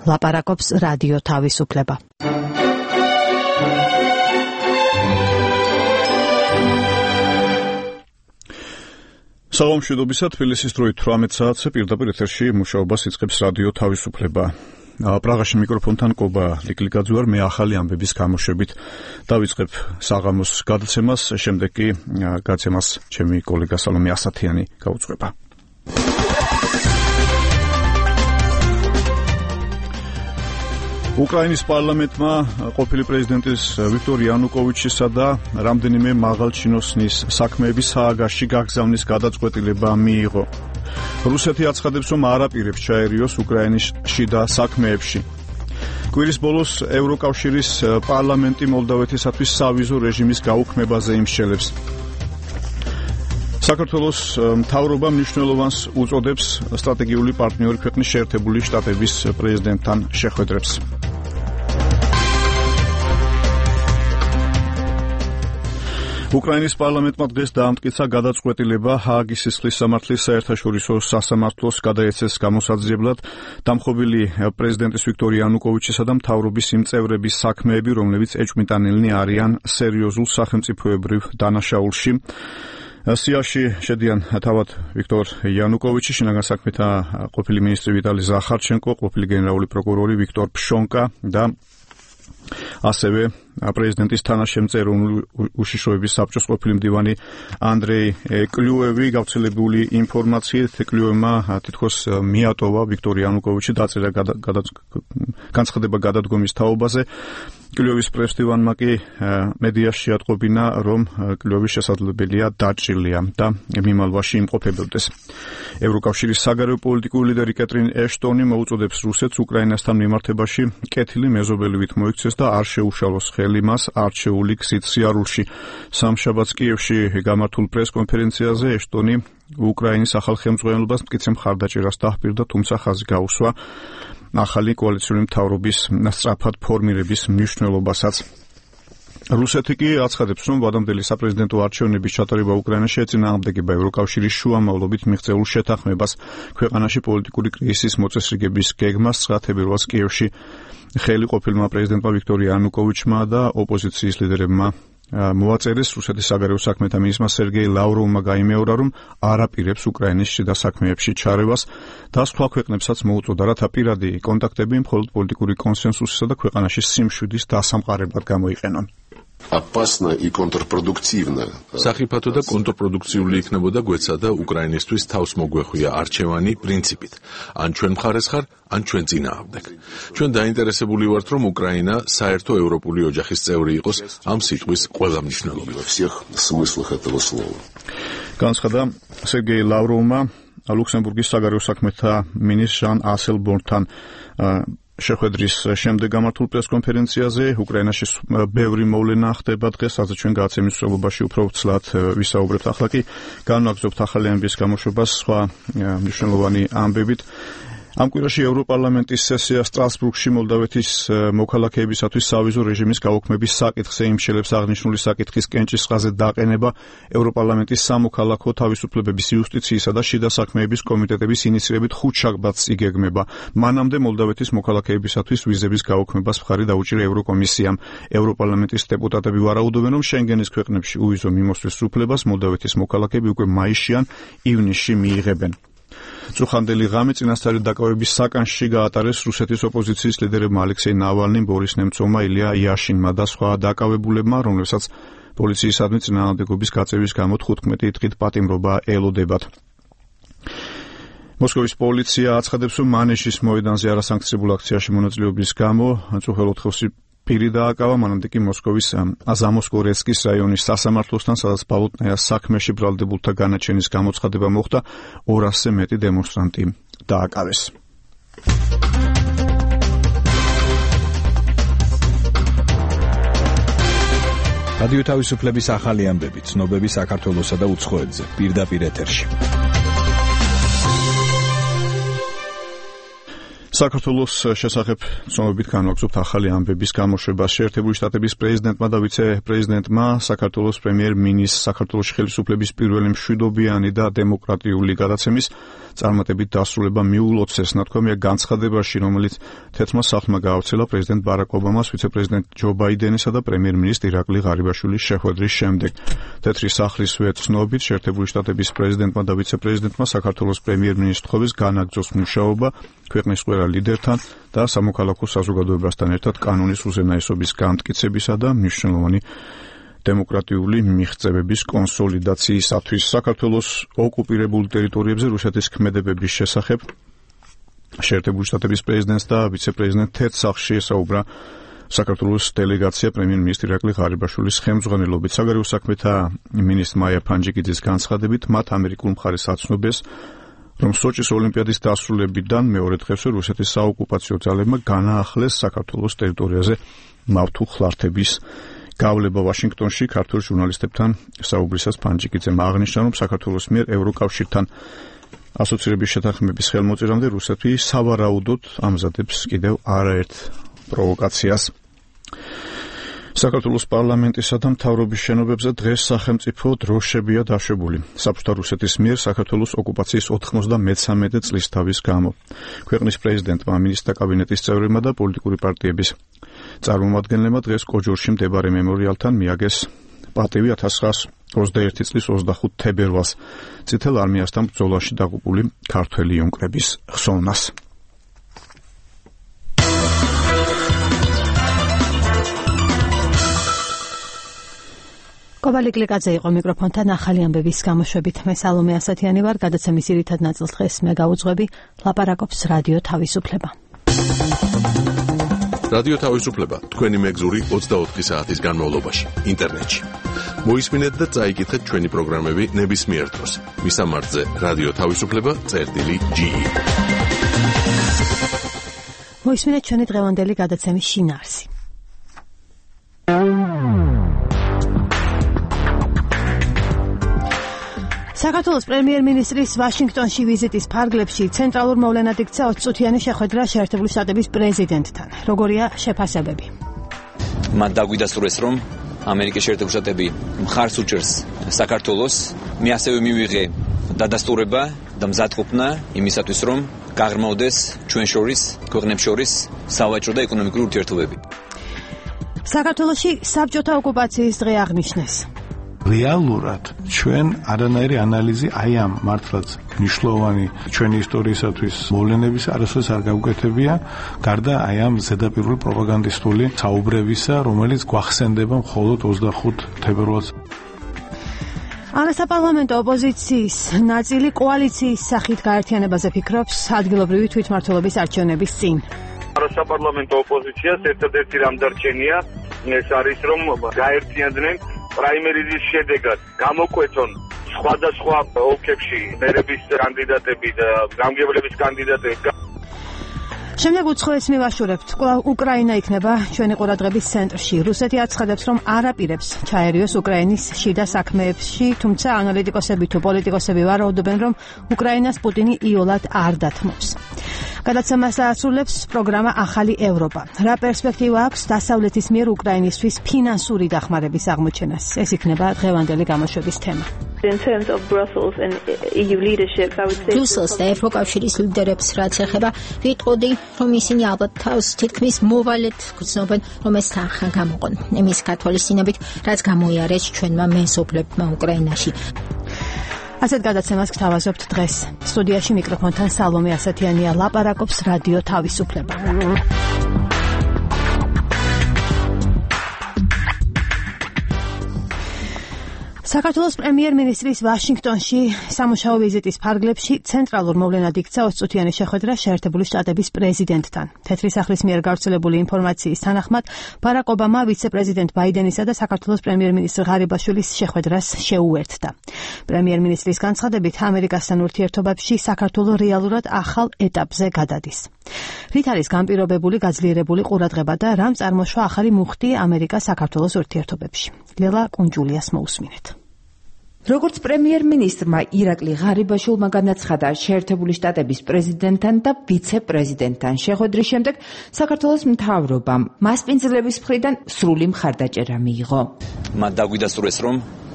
ლაპარაკობს რადიო თავისუფლება. საღამოშვიდობისა, თბილისის დროით 18 საათზე პირდაპირ ეთერში მუშაობას იწყებს რადიო თავისუფლება. პრაღაში მიკროფონთან კობა ლიკლიკაძე ვარ, მე ახალი ამბების გამოშვებით დავიწყებ საღამოს გადაცემას, შემდეგ კი გადაცემას ჩემი კოლეგა სალომე ასათიანი გაუძღვება. უკრაინის პარლამენტმა ყოფილი პრეზიდენტის ვიქტორ იანუკოვიჩისა და რამდენიმე მაღალჩინოსნის საქმეების სააგარში გაგზავნის გადაწყვეტილება მიიღო. რუსეთი აცხადებს, რომ არ აპირებს ჩაერიოს უკრაინის შიდა საქმეებში. კვირის ბოლოს ევროკავშირის პარლამენტი მოლდავეთისათვის სავიზო რეჟიმის გაუქმებაზე იმსჯელებს. საქართველოს მთავრობა მნიშვნელოვანს უწოდებს სტრატეგიული პარტნიორი ქვეყნის შეერთებული შტატების პრეზიდენტთან შეხვედრებს. უკრაინის პარლამენტმა დღეს დაამტკიცა გადაწყვეტილება ჰააგის სისხლის სამართლის საერთაშორისო სასამართლოს გადაეცეს გამოსაძიებლად დამხობილი პრეზიდენტის ვიქტორ იანუკოვიჩისა და მთავრობის იმ წევრების საქმეები, რომლებიც ეჭვმიტანილნი არიან სერიოზულ სახელმწიფოებრივ დანაშაულში. სიაში შედიან თავად ვიქტორ იანუკოვიჩი, შინაგან საქმეთა ყოფილი მინისტრი ვიტალი ზახარჩენკო, ყოფილი გენერალური პროკურორი ვიქტორ ფშონკა და ასევე პრეზიდენტის თანაშემწე უშიშროების საბჭოს ყოფილი მდივანი ანდრეი კლიუევი. გავრცელებული ინფორმაციით კლიუევმა თითქოს მიატოვა ვიქტორ იანუკოვიჩი, დაწერა განცხადება გადადგომის თაობაზე. კლიუევის პრესდივანმა კი მედიაში ატყობინა, რომ კლიუევის შესაძლებელია დაჭრილია და მიმალვაში იმყოფებოდეს. ევროკავშირის საგარეო პოლიტიკური ლიდერი კეტრინ ეშტონი მოუწოდებს რუსეთს უკრაინასთან მიმართებაში კეთილი მეზობელივით მოიქცეს და არ შეუშალოს ხელი მას არჩეული გზით სიარულში. სამშაბათს კიევში გამართულ პრესკონფერენციაზე ეშტონი უკრაინის ახალ ხელმძღვანელობას მტკიცე მხარდაჭერას დაჰპირდა, თუმცა ხაზი გაუსვა ახალი კოალიციური მთავრობის სწრაფად ფორმირების მნიშვნელობასაც. რუსეთი კი აცხადებს, რომ ვადამდელი საპრეზიდენტო არჩევნების ჩატარება უკრაინაში ეწინააღმდეგება ევროკავშირის შუამავლობით მიღწეულ შეთანხმებას ქვეყანაში პოლიტიკური კრიზისის მოწესრიგების გეგმას. 9 თებერვალს კიევში ხელი ყოფილმა პრეზიდენტმა ვიქტორ იანუკოვიჩმა და ოპოზიციის ლიდერებმა მოაწერეს. რუსეთის საგარეო საქმეთა მინისტრმა სერგეი ლავროვმა გაიმეორა, რომ არ აპირებს უკრაინის შიდა საქმეებში ჩარევას და სხვა ქვეყნებსაც მოუწოდა, რათა პირადი კონტაქტები მხოლოდ პოლიტიკური კონსენსუსისა და ქვეყანაში სიმშვიდის დასამყარებლად გამოიყენონ. Опасно и контрпродуктивно. Სახიფათო და კონტრპროდუქციული იქნებოდა გვეცა და უკრაინისთვის თავს მოგვეხვია არჩევანი პრინციპით. ან ჩვენ მხარეს ხარ, ან ჩვენ წინააღმდეგ. ჩვენ დაინტერესებული ვართ, რომ უკრაინა საერთო ევროპული ოჯახის წევრი იყოს ამ სიტყვის ყველა მნიშვნელობით. Во всех смыслах этого слова. განცხადა სერგეი ლავროვმა ლუქსემბურგის საგარეო საქმეთა მინისტრ ჟან ასელბორნთან შეხვედრის შემდეგ გამართულ პრესკონფერენციაზე. უკრაინაში ბევრი მოვლენა ხდება დღეს, სადაც ჩვენ გადაცემის მსვლელობაში უფრო ვცლად ვისაუბრებთ. ახლა კი განვაგრძობთ ახალი ამბების გამოშვებას სხვა მნიშვნელოვანი ამბებით. ამ კვირაში ევროპარლამენტის სესია სტრასბურგში მოლდავეთის მოქალაქეებისათვის სავიზო რეჟიმის გაუქმების საკითხზე იმსჯელებს. აღნიშნული საკითხის კენჭისყრაზე დაყენება ევროპარლამენტის სამოქალაქო თავისუფლებების, იუსტიციისა და შიდა საქმეების კომიტეტების ინიციირებით 5 შაბათს იგეგმება. მანამდე მოლდავეთის მოქალაქეებისათვის ვიზების გაუქმებას მხარი დაუჭირა ევროკომისიამ. ევროპარლამენტის დეპუტატები ვარაუდობენ, რომ შენგენის ქვეყნებში უვიზო მიმოსვლის უფლებას მოლდავეთის მოქალაქეები უკვე მაისში ან ივნისში მიიღებენ. წუხანდელი ღამე წინასწარი დაკავების საკანში გაატარეს რუსეთის ოპოზიციის ლიდერებმა ალექსეი ნავალნიმ, ბორის ნემცოვმა, ილია იაშინმა და სხვა დაკავებულებმა, რომლებსაც პოლიციისადმი წინააღმდეგობის გაწევის გამო 15 დღით პატიმრობა ელოდებათ. მოსკოვის პოლიცია აცხადებს, რომ მანეჟის მოედანზე არასანქციონებულ აქციაში მონაწილეობის გამო მწუხელ ოთხეულში პირი დააკავა, მანამდე კი მოსკოვის ზამოსკორეცკის რაიონის სასამართლოსთან, სადაც ბალოტნაიას საქმეში ბრალდებულთა განაჩენის გამოცხადება მოხდა, 200-ზე მეტი დემონსტრანტი დააკავეს. რადიო თავისუფლების ახალი ამბები, ცნობები საქართველოსა და უცხოეთზე, პირდაპირ ეთერში. საქართველოს შესახებ ცნობებით განვაგრძობთ ახალი ამბების გამოშვებას. შეერთებული შტატების პრეზიდენტმა და ვიცე-პრეზიდენტმა საქართველოს პრემიერ-მინისტრს საქართველოს ხელისუფლების პირველი მშვიდობიანი და დემოკრატიული გადაცემის წარმატებით დასრულება მიულოცეს, ნათქვამია განცხადებაში, რომელიც თეთრმა სახლმა გაავრცელა პრეზიდენტ ბარაკ ობამას, ვიცე-პრეზიდენტ ჯო ბაიდენისა და პრემიერ-მინისტრ ირაკლი ღარიბაშვილის შეხვედრის შემდეგ. თეთრი სახლის ვეცნობით, შეერთებული შტატების პრეზიდენტმა და ვიცე-პრეზიდენტმა საქართველოს პრემიერ-მინისტრს თხოვეს განაგრძოს მუშაობა ქვეყნის ყველა ლიდერთან და სამოქალაქო საზოგადოებასთან ერთად კანონის უზენაესობის განმტკიცებისა და მნიშვნელოვანი დემოკრატიული მიღწევების კონსოლიდაციისათვის. საქართველოს ოკუპირებულ ტერიტორიებზე რუსეთის ქმედებების შესახებ შეერთებული შტატების პრეზიდენტს და ვიცე-პრეზიდენტ თეთრ სახლში ესაუბრა საქართველოს დელეგაცია პრემიერ-მინისტრი ირაკლი ღარიბაშვილის ხელმძღვანელობით. საგარეო საქმეთა მინისტრ მაია ფანჯიკიძის განცხადებით, მათ ამერიკულ მხარეს აცნობეს, რომ სოჭის ოლიმპიადის დასრულებიდან მეორე დღესვე რუსეთის საოკუპაციო ძალებმა განაახლეს საქართველოს ტერიტორიაზე მავთულ ხლართების გავლება. ვაშინგტონში ქართულ ჟურნალისტებთან საუბრისას ფანჯიკიძემ აღნიშნა, რომ საქართველოს მიერ ევროკავშირთან ასოცირების შეთანხმების ხელმოწერამდე რუსეთი სავარაუდოდ ამზადებს კიდევ არაერთ პროვოკაციას. საქართველოს პარლამენტისა და მთავრობის შენობებზე დღეს სახელმწიფო დროშებია დაშვებული. საბჭოთა რუსეთის მიერ საქართველოს ოკუპაციის 93 წლის თავის გამო. ქვეყნის პრეზიდენტმა, მინისტრთა კაბინეტის წევრებმა და პოლიტიკური პარტიების წარმომადგენლებმა დღეს კოჯორში მდებარე მემორიალთან მიაგეს პატივი 1921 წლის 25 თებერვალს წითელ არმიასთან ბრძოლაში დაღუპული ქართველი იუნკრების ხსოვნას. კობალი გლიკაძე იყო მიკროფონთან ახალი ამბების გამოშვებით. მე სალომე ასათიანი ვარ, გადაცემის ძირითად ნაწილს დღეს მე გავუძღვები, ლაპარაკობს რადიო თავისუფლება. რადიო თავისუფლება თქვენი მეგზური 24 საათის განმავლობაში ინტერნეტში. მოისმინეთ და წაიკითხეთ ჩვენი პროგრამები ნებისმიერ დროს. მისამართზე რადიო თავისუფლება.ge. მოისმინეთ ჩვენი დღევანდელი გადაცემის შინაარსი. საქართველოს პრემიერ-მინისტრის ვაშინგტონში ვიზიტის ფარგლებში ცენტრალურ მოვლენად იქცა 20 წუთიანი შეხვედრა შეერთებული შტატების პრეზიდენტთან. როგორია შეფასებები? მან დაგვიდასტურეს, რომ ამერიკის შეერთებული შტატები მხარს უჭერს საქართველოს. მე ასევე მივიღე დადასტურება და მზადყოფნა იმისათვის, რომ გაღრმავდეს ჩვენ შორის, ქვეყნებს შორის სავაჭრო და ეკონომიკური ურთიერთობები. საქართველოში საბჭოთა ოკუპაციის დღე აღნიშნეს. რეალურად ჩვენ არანაირი ანალიზი აი ამ მართლაც მნიშვნელოვანი ჩვენი ისტორიისათვის მოვლენების არასოდეს არ გავუკეთებია, გარდა აი ამ ზედაპირული პროპაგანდისტული საუბრებისა, რომელიც გვახსენდება მხოლოდ 25 თებერვალს. არასაპარლამენტო ოპოზიციის ნაწილი კოალიციის სახით გაერთიანებაზე ფიქრობს ადგილობრივი თვითმმართველობის არჩევნების წინ. არასაპარლამენტო ოპოზიციას ერთადერთი რამ დარჩენია, ეს არის რომ გაერთიანდნენ პრაიმერიზის შედეგად გამოკვეთონ სხვადასხვა ოლქებში მერების კანდიდატები და გამგებლების კანდიდატები. შემდეგ უცხოეთს მივაშურებთ. უკრაინა იქნება ჩვენი ყურადღების ცენტრში. რუსეთი აცხადებს, რომ არ აპირებს ჩაერიოს უკრაინის შიდა საქმეებში, თუმცა ანალიტიკოსები თუ პოლიტიკოსები ვარაუდობენ, რომ უკრაინას პუტინი იოლად არ დათმობს. გადაცემას ასრულებს პროგრამა ახალი ევროპა. რა პერსპექტივა აქვს დასავლეთის მიერ უკრაინისთვის ფინანსური დახმარების აღმოჩენას? ეს იქნება დღევანდელი გამოშვების თემა. In terms of Brussels and EU leadership, I would say Brussels და ევროკავშირის ლიდერებს რაც ეხება, ვიტყოდი, რომ ისინი ალბათ თავს თითქმის მოვალედ გრძნობენ, რომ ეს თანხა გამოყონ. იმის გათვალისწინებით, რაც გამოიარეს ჩვენმა მეზობლებმა უკრაინაში. ასეთ გადაცემას გთავაზობთ დღეს. სტუდიაში მიკროფონთან სალომე ასათიანია, ლაპარაკობს რადიო თავისუფლება. საქართველოს პრემიერ-მინისტრის ვაშინგტონში სამუშაო ვიზიტის ფარგლებში ცენტრალურ მოვლენად იქცა 20 წუთიანი შეხვედრა შეერთებული შტატების პრეზიდენტთან. თეთრი სახლის მიერ გავრცელებული ინფორმაციის თანახმად, ბარაკ ობამა ვიცე-პრეზიდენტ ბაიდენისა და საქართველოს პრემიერ-მინისტრ ღარიბაშვილის შეხვედრას შეუერთდა. პრემიერ-მინისტრის განცხადებით, ამერიკასთან ურთიერთობებში საქართველო რეალურად ახალ ეტაპზე გადადის. რით არის განპირობებული გაძლიერებული ყურადღება და რამ წარმოშვა ახალი მუხტი ამერიკა-საქართველოს ურთიერთობებში? ლელა კუნჯულიას მოусმინეთ. როგორც პრემიერ-მინისტრმა ირაკლი ღარიბაშვილმა განაცხადა, შეერთებული შტატების პრეზიდენტთან და ვიცე-პრეზიდენტთან შეხვედრის შემდეგ საქართველოს მთავრობამ მასპინძლების მხრიდან სრული მხარდაჭერა მიიღო. მათ დაგვიდასტურეს, რომ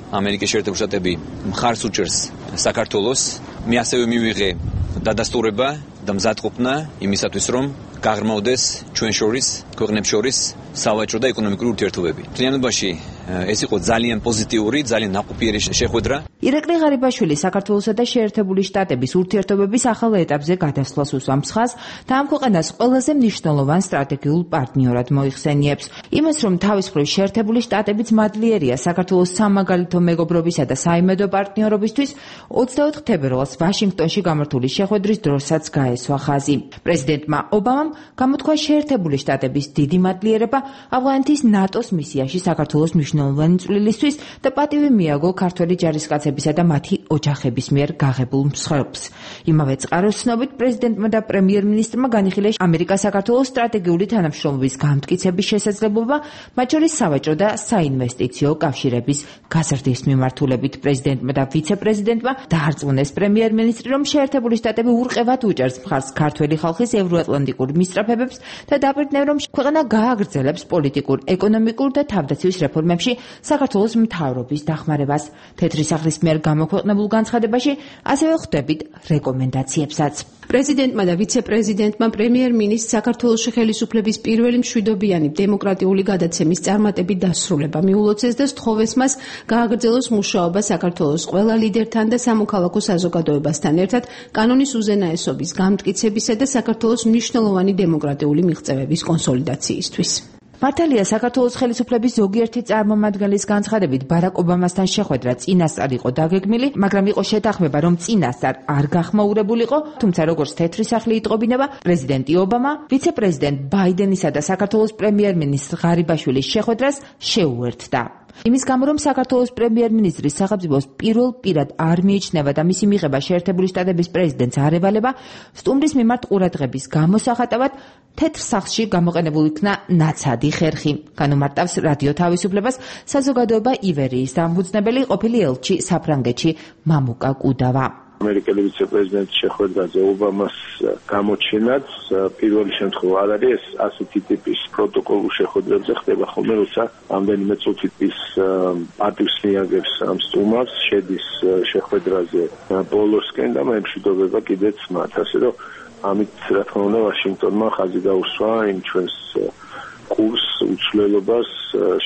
ამერიკის შეერთებული შტატები მხარს უჭერს საქართველოს. მე ასევე მივიღე დადასტურება და მზადყოფნა იმისათვის, რომ გაღრმავდეს ჩვენ შორის, ქვეყნებს შორის სავაჭრო და ეკონომიკური ურთიერთობები. მთლიანობაში ეს იყო ძალიან პოზიტიური, ძალიან ნაყოფიერი შეხვედრა. ირაკლი ღარიბაშვილი საქართველოსა და შეერთებული შტატების ურთიერთობების ახალ ეტაპზე გადასვლას უსვამს ხაზს და ამ ქვეყანას ყველაზე მნიშვნელოვან სტრატეგიულ პარტნიორად მოიხსენიებს. იმას, რომ თავის მხრივ შეერთებული შტატებიც მადლიერია საქართველოს სამაგალითო მეგობრობისა და საიმედო პარტნიორობისთვის, 24 თებერვალს ვაშინგტონში გამართული შეხვედრის დროსაც გაესვა ხაზი. პრეზიდენტმა ობამამ გამოთქვა შეერთებული შტატების დიდი მადლიერება ავღანეთის ნატოს მისიაში საქართველოს მნიშვნელოვანი წვლილისთვის და პატივი მიაგო ქართველი ჯარისკაცებისა და მათი ოჯახების მიერ გაღებულ მსხვერპლს. იმავე წყაროს ცნობით პრეზიდენტმა და პრემიერ-მინისტრმა განიხილეს ამერიკა-საქართველოს სტრატეგიული თანამშრომლობის გამტკიცების შესაძლებლობა, მათ შორის სავაჭრო და საინვესტიციო კავშირების გაზრდის მიმართულებით. პრეზიდენტმა და ვიცე-პრეზიდენტმა დაარწმუნეს პრემიერ-მინისტრი, რომ შეერთებული შტატები ურყევად უჭერს მხარს ქართველი ხალხის ევროატლანტიკურ მისწრაფებებს და დაბეჭდნევ, რომ ქვეყანა გააგრძელებს პოლიტიკურ, ეკონომიკურ და თავდაცვის რეფორმებში საქართველოს მთავრობის დახმარებას. თეთრი სახლის მიერ გამოქვეყნებულ განცხადებაში ასევე ხვდებით რეკომენდაციებსაც. პრეზიდენტმა და ვიცე-პრეზიდენტმა პრემიერ-მინისტრს საქართველოში ხელისუფლების პირველი მშვიდობიანი დემოკრატიული გადაცემის წარმატებით დასრულება მიულოცეს და სთხოვეს მას გააგრძელოს მუშაობა საქართველოს ყველა ლიდერთან და სამოქალაქო საზოგადოებასთან ერთად კანონის უზენაესობის გამტკიცებისა და საქართველოს მნიშვნელოვანი დემოკრატიული მიღწევების კონსოლიდაციისთვის. მართალია, საქართველოს ხელისუფლების ზოგიერთი წარმომადგენლის განცხადებით ბარაკ ობამასთან შეხვედრა წინასწარ იყო დაგეგმილი, მაგრამ იყო შეთანხმება, რომ წინასწარ არ გახმაურებულიყო, თუმცა როგორც თეთრი სახლი იტყობინება, პრეზიდენტი ობამა ვიცე-პრეზიდენტ ბაიდენისა და საქართველოს პრემიერ-მინისტრ ღარიბაშვილის შეხვედრას შეუერთდა. იმის გამო, რომ საქართველოს პრემიერ-მინისტრის სახელმწიფოს პირად არ მიიჩნევა და მისი მიღება შეერთებული შტატების პრეზიდენტს არ ევალება, სტუმრის მიმართ ყურადღების გამოსახატავად თეთრ სახლში გამოყენებულ იქნა ნაცადი ხერხი. განუმარტავს რადიო თავისუფლებას საზოგადოება ივერიის დამფუძნებელი ყოფილი ელჩი საფრანგეთში მამუკა კუდავა. ამერიკელი ვიცე-პრეზიდენტის შეხვედრაზე ობამას გამოჩენაც პირველი შემთხვევა არ არის, ეს ასეთი ტიპის პროტოკოლურ შეხვედრებზე ხდება ხოლმე, როცა რამდენიმე წუთის პატივს მიაგებს ამ სტუმარს, შედის შეხვედრაზე ბოლოსკენ და მემშვიდობება კიდეც მათ, ასე რომ ამით რა თქმა უნდა ვაშინგტონმა ხაზი გაუსვა იმ ჩვენს კურს, უცვლელობას,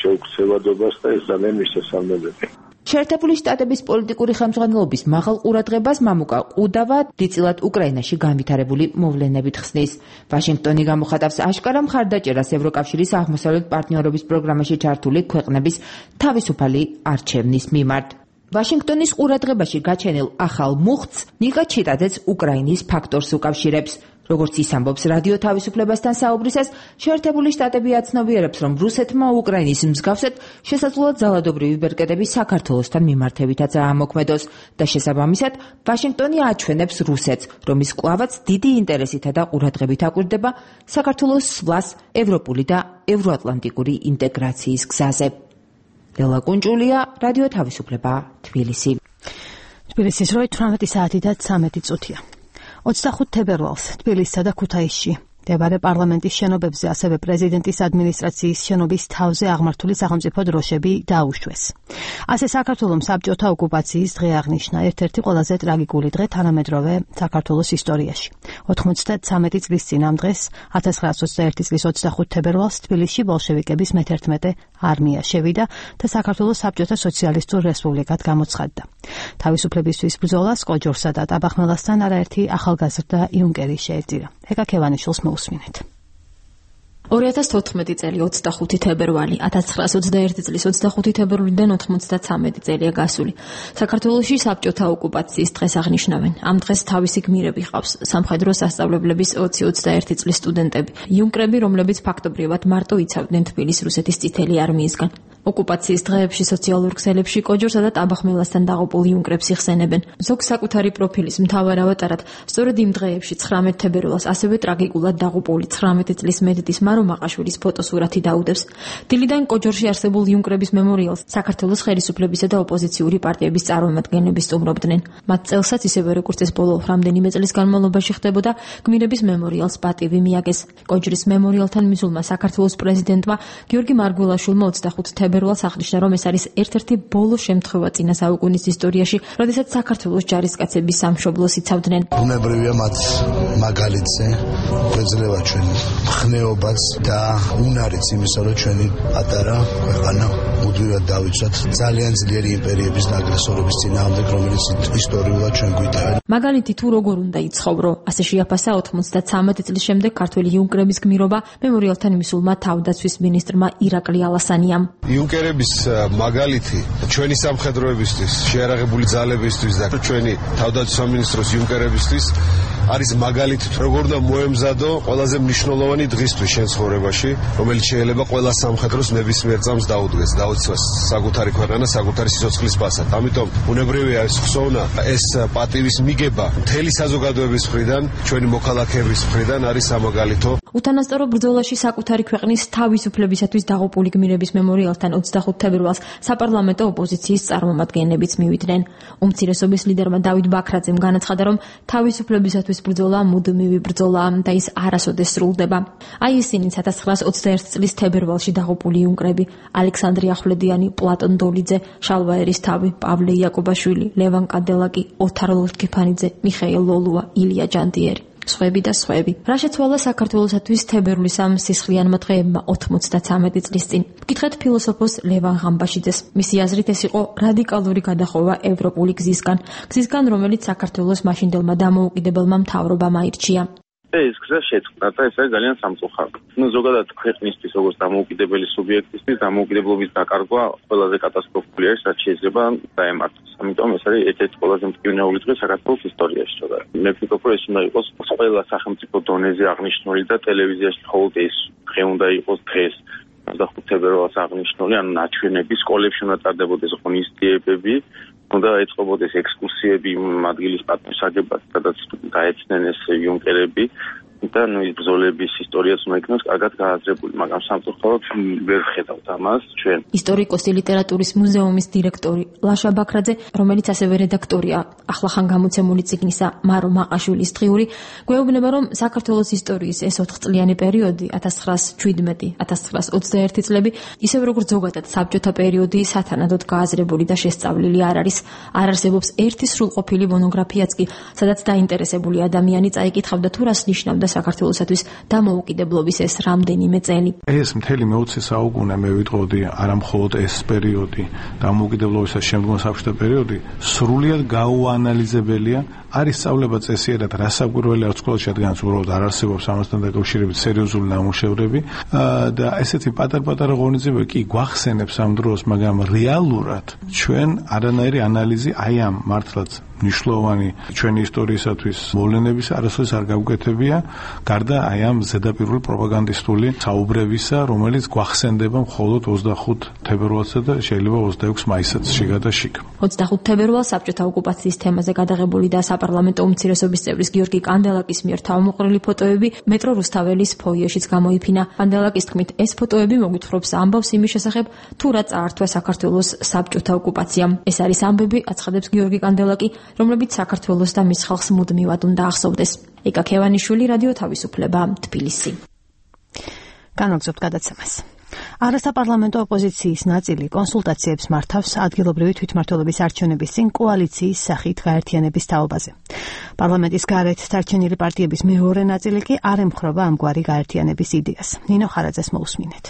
შეუქცევადობას და ეს ძალიან მისასალმებელი. შეერთებული შტატების პოლიტიკური ხელმძღვანელობის მაღალ ყურადღებას მამუკა კუდავა დიდწილად უკრაინაში განვითარებული მოვლენებით ხსნის. ვაშინგტონი გამოხატავს აშკარა მხარდაჭერას ევროკავშირის აღმოსავლეთ პარტნიორობის პროგრამაში ჩართული ქვეყნების თავისუფალი არჩევნის მიმართ. ვაშინგტონის ყურადღებაში გაჩენილ ახალ მუხტს ნიკა ჩიტაძეც უკრაინის ფაქტორს უკავშირებს. როგორც ის ამბობს რადიო თავისუფლებასთან საუბრისას, შეერთებული შტატები აცნობიერებს, რომ რუსეთმა უკრაინის მსგავსად შესაძლოა ძალადობრივი ბერკეტები საქართველოსთან მიმართებითაც აამოქმედოს და შესაბამისად ვაშინგტონი აჩვენებს რუსეთს, რომ ის კვლავაც დიდი ინტერესითა და ყურადღებით აკვირდება საქართველოს სვლას ევროპული და ევროატლანტიკური ინტეგრაციის გზაზე. ლელა კუნჭულია, რადიო თავისუფლება, თბილისი. თბილისის 18 საათი და 13 წუთია. 25 თებერვალს თბილისსა და ქუთაისში მდებარე პარლამენტის შენობებზე, ასევე პრეზიდენტის ადმინისტრაციის შენობის თავზე აღმართული სახელმწიფო დროშები დაუშვეს. ასე საქართველოს საბჭოთა ოკუპაციის დღე აღნიშნა, ერთ-ერთი ყველაზე ტრაგიკული დღე თანამედროვე საქართველოს ისტორიაში. 93 წლის წინ ამ დღეს 1921 წლის 25 თებერვალს თბილისში ბოლშევიკების მე-11 არმია შევიდა და საქართველოს საბჭოთა სოციალისტურ რესპუბლიკად გამოცხადდა. თავისუფლებისთვის ბრძოლას კოჯორსა და ტაბახმელასთან არაერთი ახალგაზრდა იუნკერი შეეწირა. ეკა ქევანიშვილს მოусმინეთ. 2014 წელი 25 თებერვალი, 1921 წლის 25 თებერვლიდან 93 წელია გასული. საქართველოში საბჭოთა ოკუპაციის დღეს აღნიშნავენ. ამ დღეს თავისი გმირები ჰყავს სამხედრო სასწავლებლების 20-21 წლის სტუდენტები, იუნკრები, რომლებიც ფაქტობრივად მარტო იცავდნენ თბილისს რუსეთის წითელი არმიისგან. ოკუპაციის დღეებში სოციალურ ქსელებში კოჯორსა და ტაბახმელასთან დაღუპულ იუნკრებს იხსენებენ. ზოგ საკუთარი პროფილის მთავარ ავატარად სწორედ იმ დღეებში 19 თებერვალს ასევე ტრაგიკულად დაღუპული 19 წლის მედდის მარო მაყაშვილის ფოტოსურათი დაუდევს. დილიდან კოჯორში არსებულ იუნკრების მემორიალს საქართველოს ხელისუფლებისა და ოპოზიციური პარტიების წარმომადგენლები სტუმრობდნენ. მათ წელსაც ისევე როგორც ეს ბოლო რამდენიმე წლის განმავლობაში ხდებოდა, გმირების მემორიალს პატივი მიაგეს. კოჯრის მემორიალთან მისულმა საქართველოს პრეზიდენტმა გიორგი მარგველაშვილმა 25 თებერვალს აღნიშნა, რომ ეს არის ერთ-ერთი ბოლო შემთხვევა წინა საუკუნის ისტორიაში, როდესაც საქართველოს ჯარისკაცები სამშობლოს იცავდნენ. ბუნებრივია მათ მაგალითზე გვეძლევა ჩვენ მხნეობას და უნარიც იმისა, რომ ჩვენი პატარა ქვეყანა მუდმივად დავიცვათ ძალიან ძლიერი იმპერიების და აგრესორების წინააღმდეგ, რომელიც ისტორიულად ჩვენ გვიტევენ. მაგალითი თუ როგორ უნდა იცხოვრო, ასე შეაფასა 93 წლის შემდეგ ქართველი იუნკრების გმირობა მემორიალთან მისულმა თავდაცვის მინისტრმა ირაკლი ალასანიამ. იუნკერების მაგალითი ჩვენი სამხედროებისთვის, შეიარაღებული ძალებისთვის და ჩვენი თავდაცვის სამინისტროს იუნკერებისთვის არის მაგალითი, როგორ უნდა მოემზადო ყველაზე მნიშვნელოვანი დღისთვის შენ ცხოვრებაში, რომელიც შეიძლება ყველა სამხედროს ნებისმიერ წამს დაუდგეს, დაუცვას საკუთარი ქვეყანა, საკუთარი სიცოცხლის პასად. ამიტომ უნებრივია ეს ხსოვნა, ეს პატივის მიგება მთელი საზოგადოების მხრიდან, ჩვენი მოქალაქეების მხრიდან არის სამაგალითო. უთანასწორო ბრძოლაში საკუთარი ქვეყნის თავისუფლებისათვის დაღუპული გმირების მემორიალთან 25 თებერვალს საპარლამენტო ოპოზიციის წარმომადგენლებიც მივიდნენ. უმცირესობის ლიდერმა დავით ბაქრაძემ განაცხადა, რომ თავისუფლებისათვის ბრძოლა მუდმივი ბრძოლაა და ის არასოდეს სრულდება. აი ისინი 1921 წლის თებერვალში დაღუპული იუნკრები: ალექსანდრე ახვლედიანი, პლატონ დოლიძე, შალვა ერისთავი, პავლე იაკობაშვილი, ლევან კანდელაკი, ოთარ ლორთქიფანიძე, მიხეილ ლოლუა, ილია ჯანდიერი. სხვები და სხვები. რა შეცვალა საქართველოსათვის თებერვლის ამ სისხლიანმა დღეებმა 93 წლის წინ? ვკითხეთ ფილოსოფოს ლევან ღამბაშიძეს. მისი აზრით ეს იყო რადიკალური გადახოვა ევროპული გზისგან, რომელიც საქართველოს მაშინდელმა დამოუკიდებელმა მთავრობამ აირჩია. ეს გზა შეწყდა და ეს არის ძალიან სამწუხარო. ზოგადად ქვეყნისთვის, როგორც დამოუკიდებელი სუბიექტისთვის, დამოუკიდებლობის დაკარგვა ყველაზე კატასტროფული არის, რაც შეიძლება დაემართოს. ამიტომ ეს არის ერთ-ერთი ყველაზე მტკივნეული დღე საქართველოს ისტორიაში. მე ვფიქრობ, რომ ეს უნდა იყოს ყველა სახელმწიფო დონეზე აღნიშნული და ტელევიზიაში მხოლოდ ეს დღე უნდა იყოს დღეს. 25 თებერვალს აღნიშნული, ან ნაჩვენები, სკოლებში უნდა ტარდებოდეს ღონისძიებები, უნდა ეწყობოდეს ექსკურსიები ადგილის პატივსაგებად, სადაც გაეცნენ ეს იუნკერები და ის ბრძოლების ისტორიაც უნდა იქნას კარგად გააზრებული, მაგრამ სამწუხაროდ ვერ ვხედავთ ამას ჩვენ. ისტორიკოსი, ლიტერატურის მუზეუმის დირექტორი ლაშა ბაქრაძე, რომელიც ასევე რედაქტორია ახლახან გამოცემული წიგნისა მარო მაყაშვილის დღიური, გვეუბნება, რომ საქართველოს ისტორიის ეს 4 წლიანი პერიოდი 1917-1921 წლები, ისევე როგორც ზოგადად საბჭოთა პერიოდი, სათანადოდ გააზრებული და შესწავლილი არ არის. არ არსებობს ერთი სრულყოფილი მონოგრაფიაც კი, სადაც დაინტერესებული ადამიანი წაიკითხავდა თუ რას ნიშნავდა საქართველოსათვის დამოუკიდებლობის ეს რამდენიმე წელი. ეს მთელი მე-20 საუკუნე მე ვიტყოდი, არა მხოლოდ ეს პერიოდი, დამოუკიდებლობისა შემდგომ საბჭოთა პერიოდი, სრულიად გაუანალიზებელია. არის სწავლება წესიერად, რა საკვირველი არც ყველა შედგენს უბრალოდ არ არსებობს ამასთან დაკავშირებით სერიოზული ნამუშევრები და ესეთი პატარ-პატარა ღონისძიებები კი გვახსენებს ამ დროს, მაგრამ რეალურად ჩვენ არანაირი ანალიზი აი ამ მართლაც მნიშვნელოვანი ჩვენი ისტორიისათვის მოვლენების არასოდეს არ გავუკეთებია, გარდა აი ამ ზედაპირული პროპაგანდისტული საუბრებისა, რომელიც გვახსენდება მხოლოდ 25 თებერვალსა და შეიძლება 26 მაისსაც შიგა და შიგ. 25 თებერვალს საბჭოთა ოკუპაციის თემაზე გადაღებული და საპარლამენტო უმცირესობის წევრის გიორგი კანდელაკის მიერ თავმოყრილი ფოტოები მეტრო რუსთაველის ფოიეშიც გამოიფინა. კანდელაკის თქმით, ეს ფოტოები მოგვითხრობს ამბავს იმის შესახებ, თუ რა წაართვა საქართველოს საბჭოთა ოკუპაციამ. ეს არის ამბები, აცხადებს გიორგი კანდელაკი, რომლებიც საქართველოს და მის ხალხს მუდმივად უნდა ახსოვდეს. ეკა ქევანიშვილი, რადიო თავისუფლება, თბილისი. განაგზობთ გადაცემას. არასაპარლამენტო ოპოზიციის ნაწილი კონსულტაციებს მართავს ადგილობრივი თვითმმართველობის არჩევნების წინ კოალიციის სახით გაერთიანების თაობაზე. პარლამენტის გარეთ დარჩენილი პარტიების მეორე ნაწილი კი არ ემხრობა ამგვარი გაერთიანების იდეას. ნინო ხარაძეს მოусმინეთ.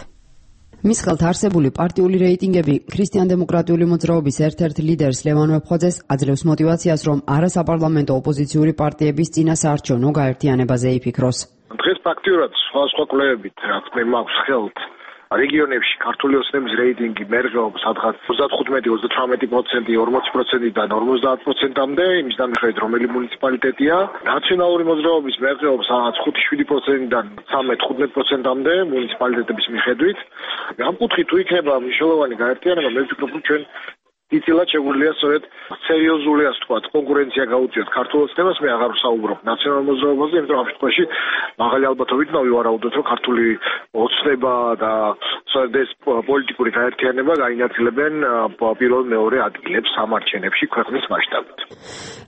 მის ხელთ არსებული პარტიული რეიტინგები ქრისტიან-დემოკრატიული მოძრაობის ერთ-ერთ ლიდერს ლევან ვეფხვაძეს აძლევს მოტივაციას, რომ არასაპარლამენტო ოპოზიციური პარტიების წინასაარჩევნო გაერთიანებაზე იფიქროს. დღეს ფაქტიურად სხვადასხვა კვლევებით, რაც მე მაქვს ხელთ, რეგიონებში ქართული ოცნების რეიტინგი მერყეობს სადღაც 35-38%, 40%-დან 50%-მდე, იმის მიხედვით რომელი მუნიციპალიტეტია. ნაციონალური მოძრაობის მერყეობს სადღაც 5-7%-დან 13-15%-მდე მუნიციპალიტეტების მიხედვით. ამ კუთხით თუ იქნება მნიშვნელოვანი გაერთიანება, მე ვფიქრობ, რომ ჩვენ იცილად შეგვიძლია სწორედ სერიოზული, ასე ვთქვათ, კონკურენცია გაუწიოთ ქართულ ოცნებას. მე აღარ ვსაუბრობ ნაციონალურ მოძრაობაზე, იმიტომ რომ ამ შემთხვევაში მაღალი ალბათობით ვივარაუდოთ, რომ ქართული ოცნება და სწორედ ეს პოლიტიკური გაერთიანება გაინაწილებენ პირველ მეორე ადგილებს სამარჩენებში ქვეყნის მასშტაბით.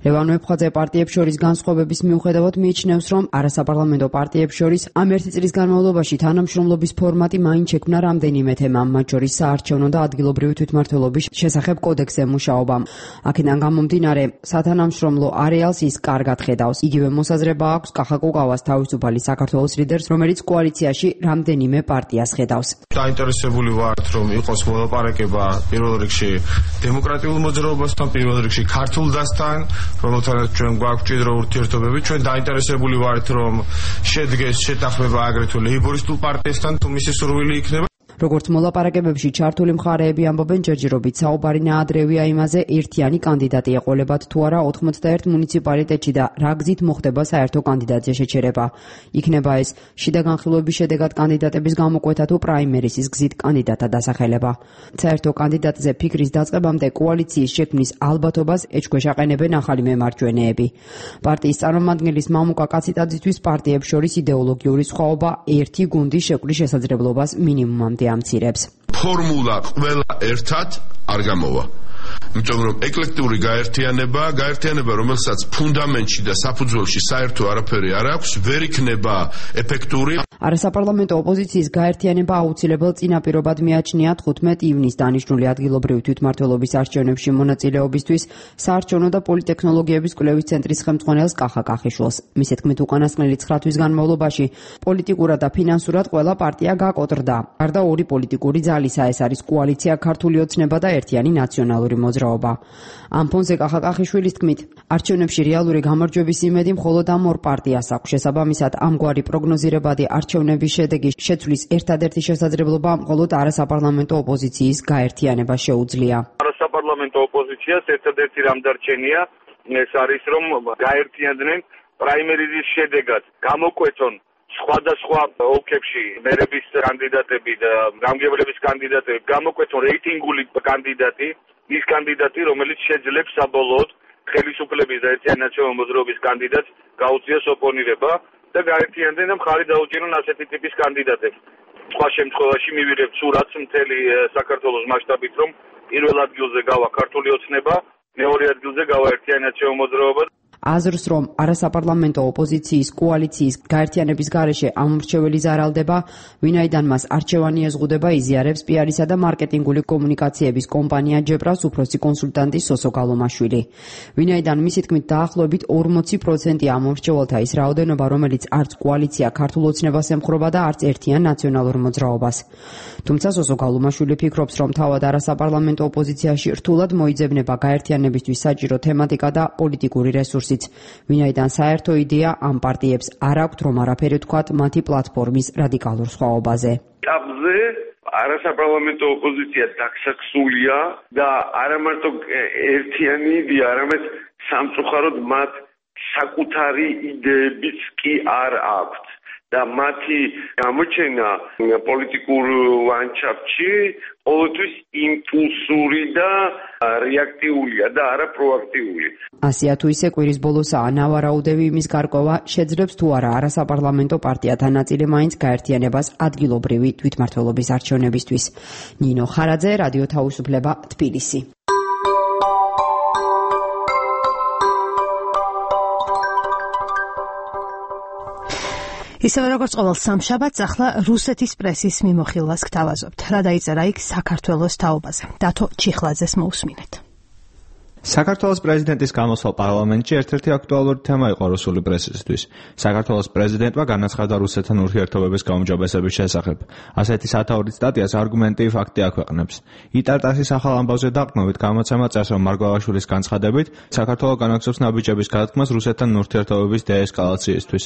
ლევან ვეფხვაძე პარტიებს შორის განსხვავების მიუხედავად მიიჩნევს, რომ არასაპარლამენტო პარტიებს შორის ამ ერთი წლის განმავლობაში თანამშრომლობის ფორმატი მაინც შექმნა რამდენიმე თემამ, მათ შორის საარჩევნო და ადგილობრივი თვითმმართველობის შესახებ კოდექსზე მუშაობამ. აქედან გამომდინარე, სათანამშრომლო არეალს ის კარგად ხედავს. იგივე მოსაზრება აქვს კახა კუკავას თავისუფალი საქართველოს ლიდერს, რომელიც კოალიციაში რამდენიმე პარტიას ხედავს. დაინტერესებული ვართ, რომ იყოს მოლაპარაკება პირველ რიგში დემოკრატიულ მოძრაობასთან, პირველ რიგში ქართულ დასთან, რომელთანაც ჩვენ გვაქვს მჭიდრო ურთიერთობები. ჩვენ დაინტერესებული ვართ, რომ შედგეს შეთანხმება აგრეთვე ლეიბორისტულ პარტიასთან, თუ მისი სურვილი იქნება. როგორც მოლაპარაკებებში ჩართული მხარეები ამბობენ, ჯერჯერობით საუბარი ნაადრევია იმაზე, ერთიანი კანდიდატი ეყოლებათ თუ არა 91 მუნიციპალიტეტში და რა გზით მოხდება საერთო კანდიდატზე შეჩერება. იქნება ეს შიდა განხილვების შედეგად კანდიდატების გამოკვეთა თუ პრაიმერისის გზით კანდიდატთა დასახელება. საერთო კანდიდატზე ფიქრის დაწყებამდე კოალიციის შექმნის ალბათობას ეჭქვეშაყენებენ ახალი მემარჯვენეები. პარტიის წარმომადგენლის მამუკა კაციტაძისთვის პარტიებს შორის იდეოლოგიური სხვაობა ერთი გუნდის შეკვრის შესაძლებლობას მინიმუმამდე ამცირებს. ფორმულა ყველა ერთად არ გამოვა. იმიტომ რომ ეკლექტური გაერთიანება, რომელსაც ფუნდამენტში და საფუძველში საერთო არაფერი არ აქვს, ვერ იქნება ეფექტური. არასაპარლამენტო ოპოზიციის გაერთიანება აუცილებელ წინაპირობად მიაჩნია 15 ივნისს დანიშნული ადგილობრივი თვითმმართველობის არჩევნებში მონაწილეობისთვის საარჩევნო და პოლიტექნოლოგიების კვლევის ცენტრის ხელმძღვანელს კახა კახიშვილს. მის თქმით, უკანასკნელი 9 თვის განმავლობაში პოლიტიკურად და ფინანსურად ყველა პარტია გაკოტრდა. გარდა ორი პოლიტიკური ძალისა, ეს არის კოალიცია ქართული ოცნება და ერთიანი ნაციონალური მოძრაობა. ამ ფონზე კახა კახიშვილის თქმით, არჩევნებში რეალური გამარჯვების იმედი მხოლოდ ამ ორ პარტიას აქვს. შესაბამისად, ამგვარი პროგნოზირებადი არჩევნების შედეგის შეცვლის ერთადერთი შესაძლებლობა მხოლოდ არასაპარლამენტო ოპოზიციის გაერთიანება შეუძლია. არასაპარლამენტო ოპოზიციას ერთადერთი რამ დარჩენია, ეს არის რომ გაერთიანდნენ პრაიმერიზის შედეგად, გამოკვეთონ სხვადასხვა ოლქებში მერების კანდიდატები და გამგებლების კანდიდატები, გამოკვეთონ რეიტინგული კანდიდატი, ის კანდიდატი, რომელიც შეძლებს საბოლოოდ ხელისუფლების და ერთიანი ნაციონალური მოძრაობის კანდიდატს გაუწიოს ოპონირება და გაერთიანდნენ და მხარი დაუჭირონ ასეთი ტიპის კანდიდატებს. სხვა შემთხვევაში მივიღებთ სურათს მთელი საქართველოს მასშტაბით, რომ პირველ ადგილზე გავა ქართული ოცნება, მეორე ადგილზე გავა ერთიანი ნაციონალური მოძრაობა. აზრს, რომ არასაპარლამენტო ოპოზიციის კოალიციის გაერთიანების გარეშე ამორჩეველი ზარალდება, ვინაიდან მას არჩევანი ეზღუდება, იზიარებს პიარისა და მარკეტინგული კომუნიკაციების კომპანია ჯებრას უფროსი კონსულტანტი სოსო გალომაშვილი. ვინაიდან მისი თქმით დაახლოებით 40% ამორჩეველთა ის რაოდენობა, რომელიც არც კოალიცია ქართულ ოცნებას ემხრობა და არც ერთიან ნაციონალურ მოძრაობას. თუმცა სოსო გალომაშვილი ფიქრობს, რომ თავად არასაპარლამენტო ოპოზიციაში რთულად მოიძებნება გაერთიანებისთვის საჭირო თემატიკა და პოლიტიკური რესურსი. ვინაიდან საერთო იდეა ამ პარტიებს არ აქვთ, რომ არაფერი თქვათ მათი პლატფორმის რადიკალურ სხვაობაზე. აბზე არასაპარლამენტო ოპოზიცია დაქსაქსულია და არა მარტო ერთიანი იდეა, არამედ სამწუხაროდ მათ საკუთარი იდეებიც კი არ აქვთ. და მათი გამოჩენა პოლიტიკურ ლანდშაფტში ყოველთვის იმპულსური და რეაქტიულია და არა პროაქტიული. ასია თუ ისე კვირის ბოლოსაა ნავარაუდები იმის გარკვევა, შეძლებს თუ არა არასაპარლამენტო პარტიათა ნაწილი მაინც გაერთიანებას ადგილობრივი თვითმმართველობის არჩევნებისთვის. ნინო ხარაძე, რადიო თავისუფლება, თბილისი. ისევე როგორც ყოველ სამშაბათს, ახლა რუსეთის პრესის მიმოხილვას გთავაზობთ. რა დაიწერა იქ საქართველოს თაობაზე. დათო ჩიხლაძეს მოусმინეთ. საქართველოს პრეზიდენტის გამოსვლა პარლამენტში ერთ-ერთი აქტუალური თემა იყო რუსული პრესისთვის. საქართველოს პრეზიდენტმა განაცხადა რუსეთთან ურთიერთობების გაუმჯობესების შესახებ. ასეთი სათაურის სტატიას არგუმენტი ფაქტი აქვეყნებს. იტარტასის ახალ ამბავზე დაყრდნობით გამოცემა წერს, რომ მარგველაშვილის განცხადებით საქართველო განაგზობს ნაბიჯების გადადგმას რუსეთთან ურთიერთობების დეესკალაციისთვის.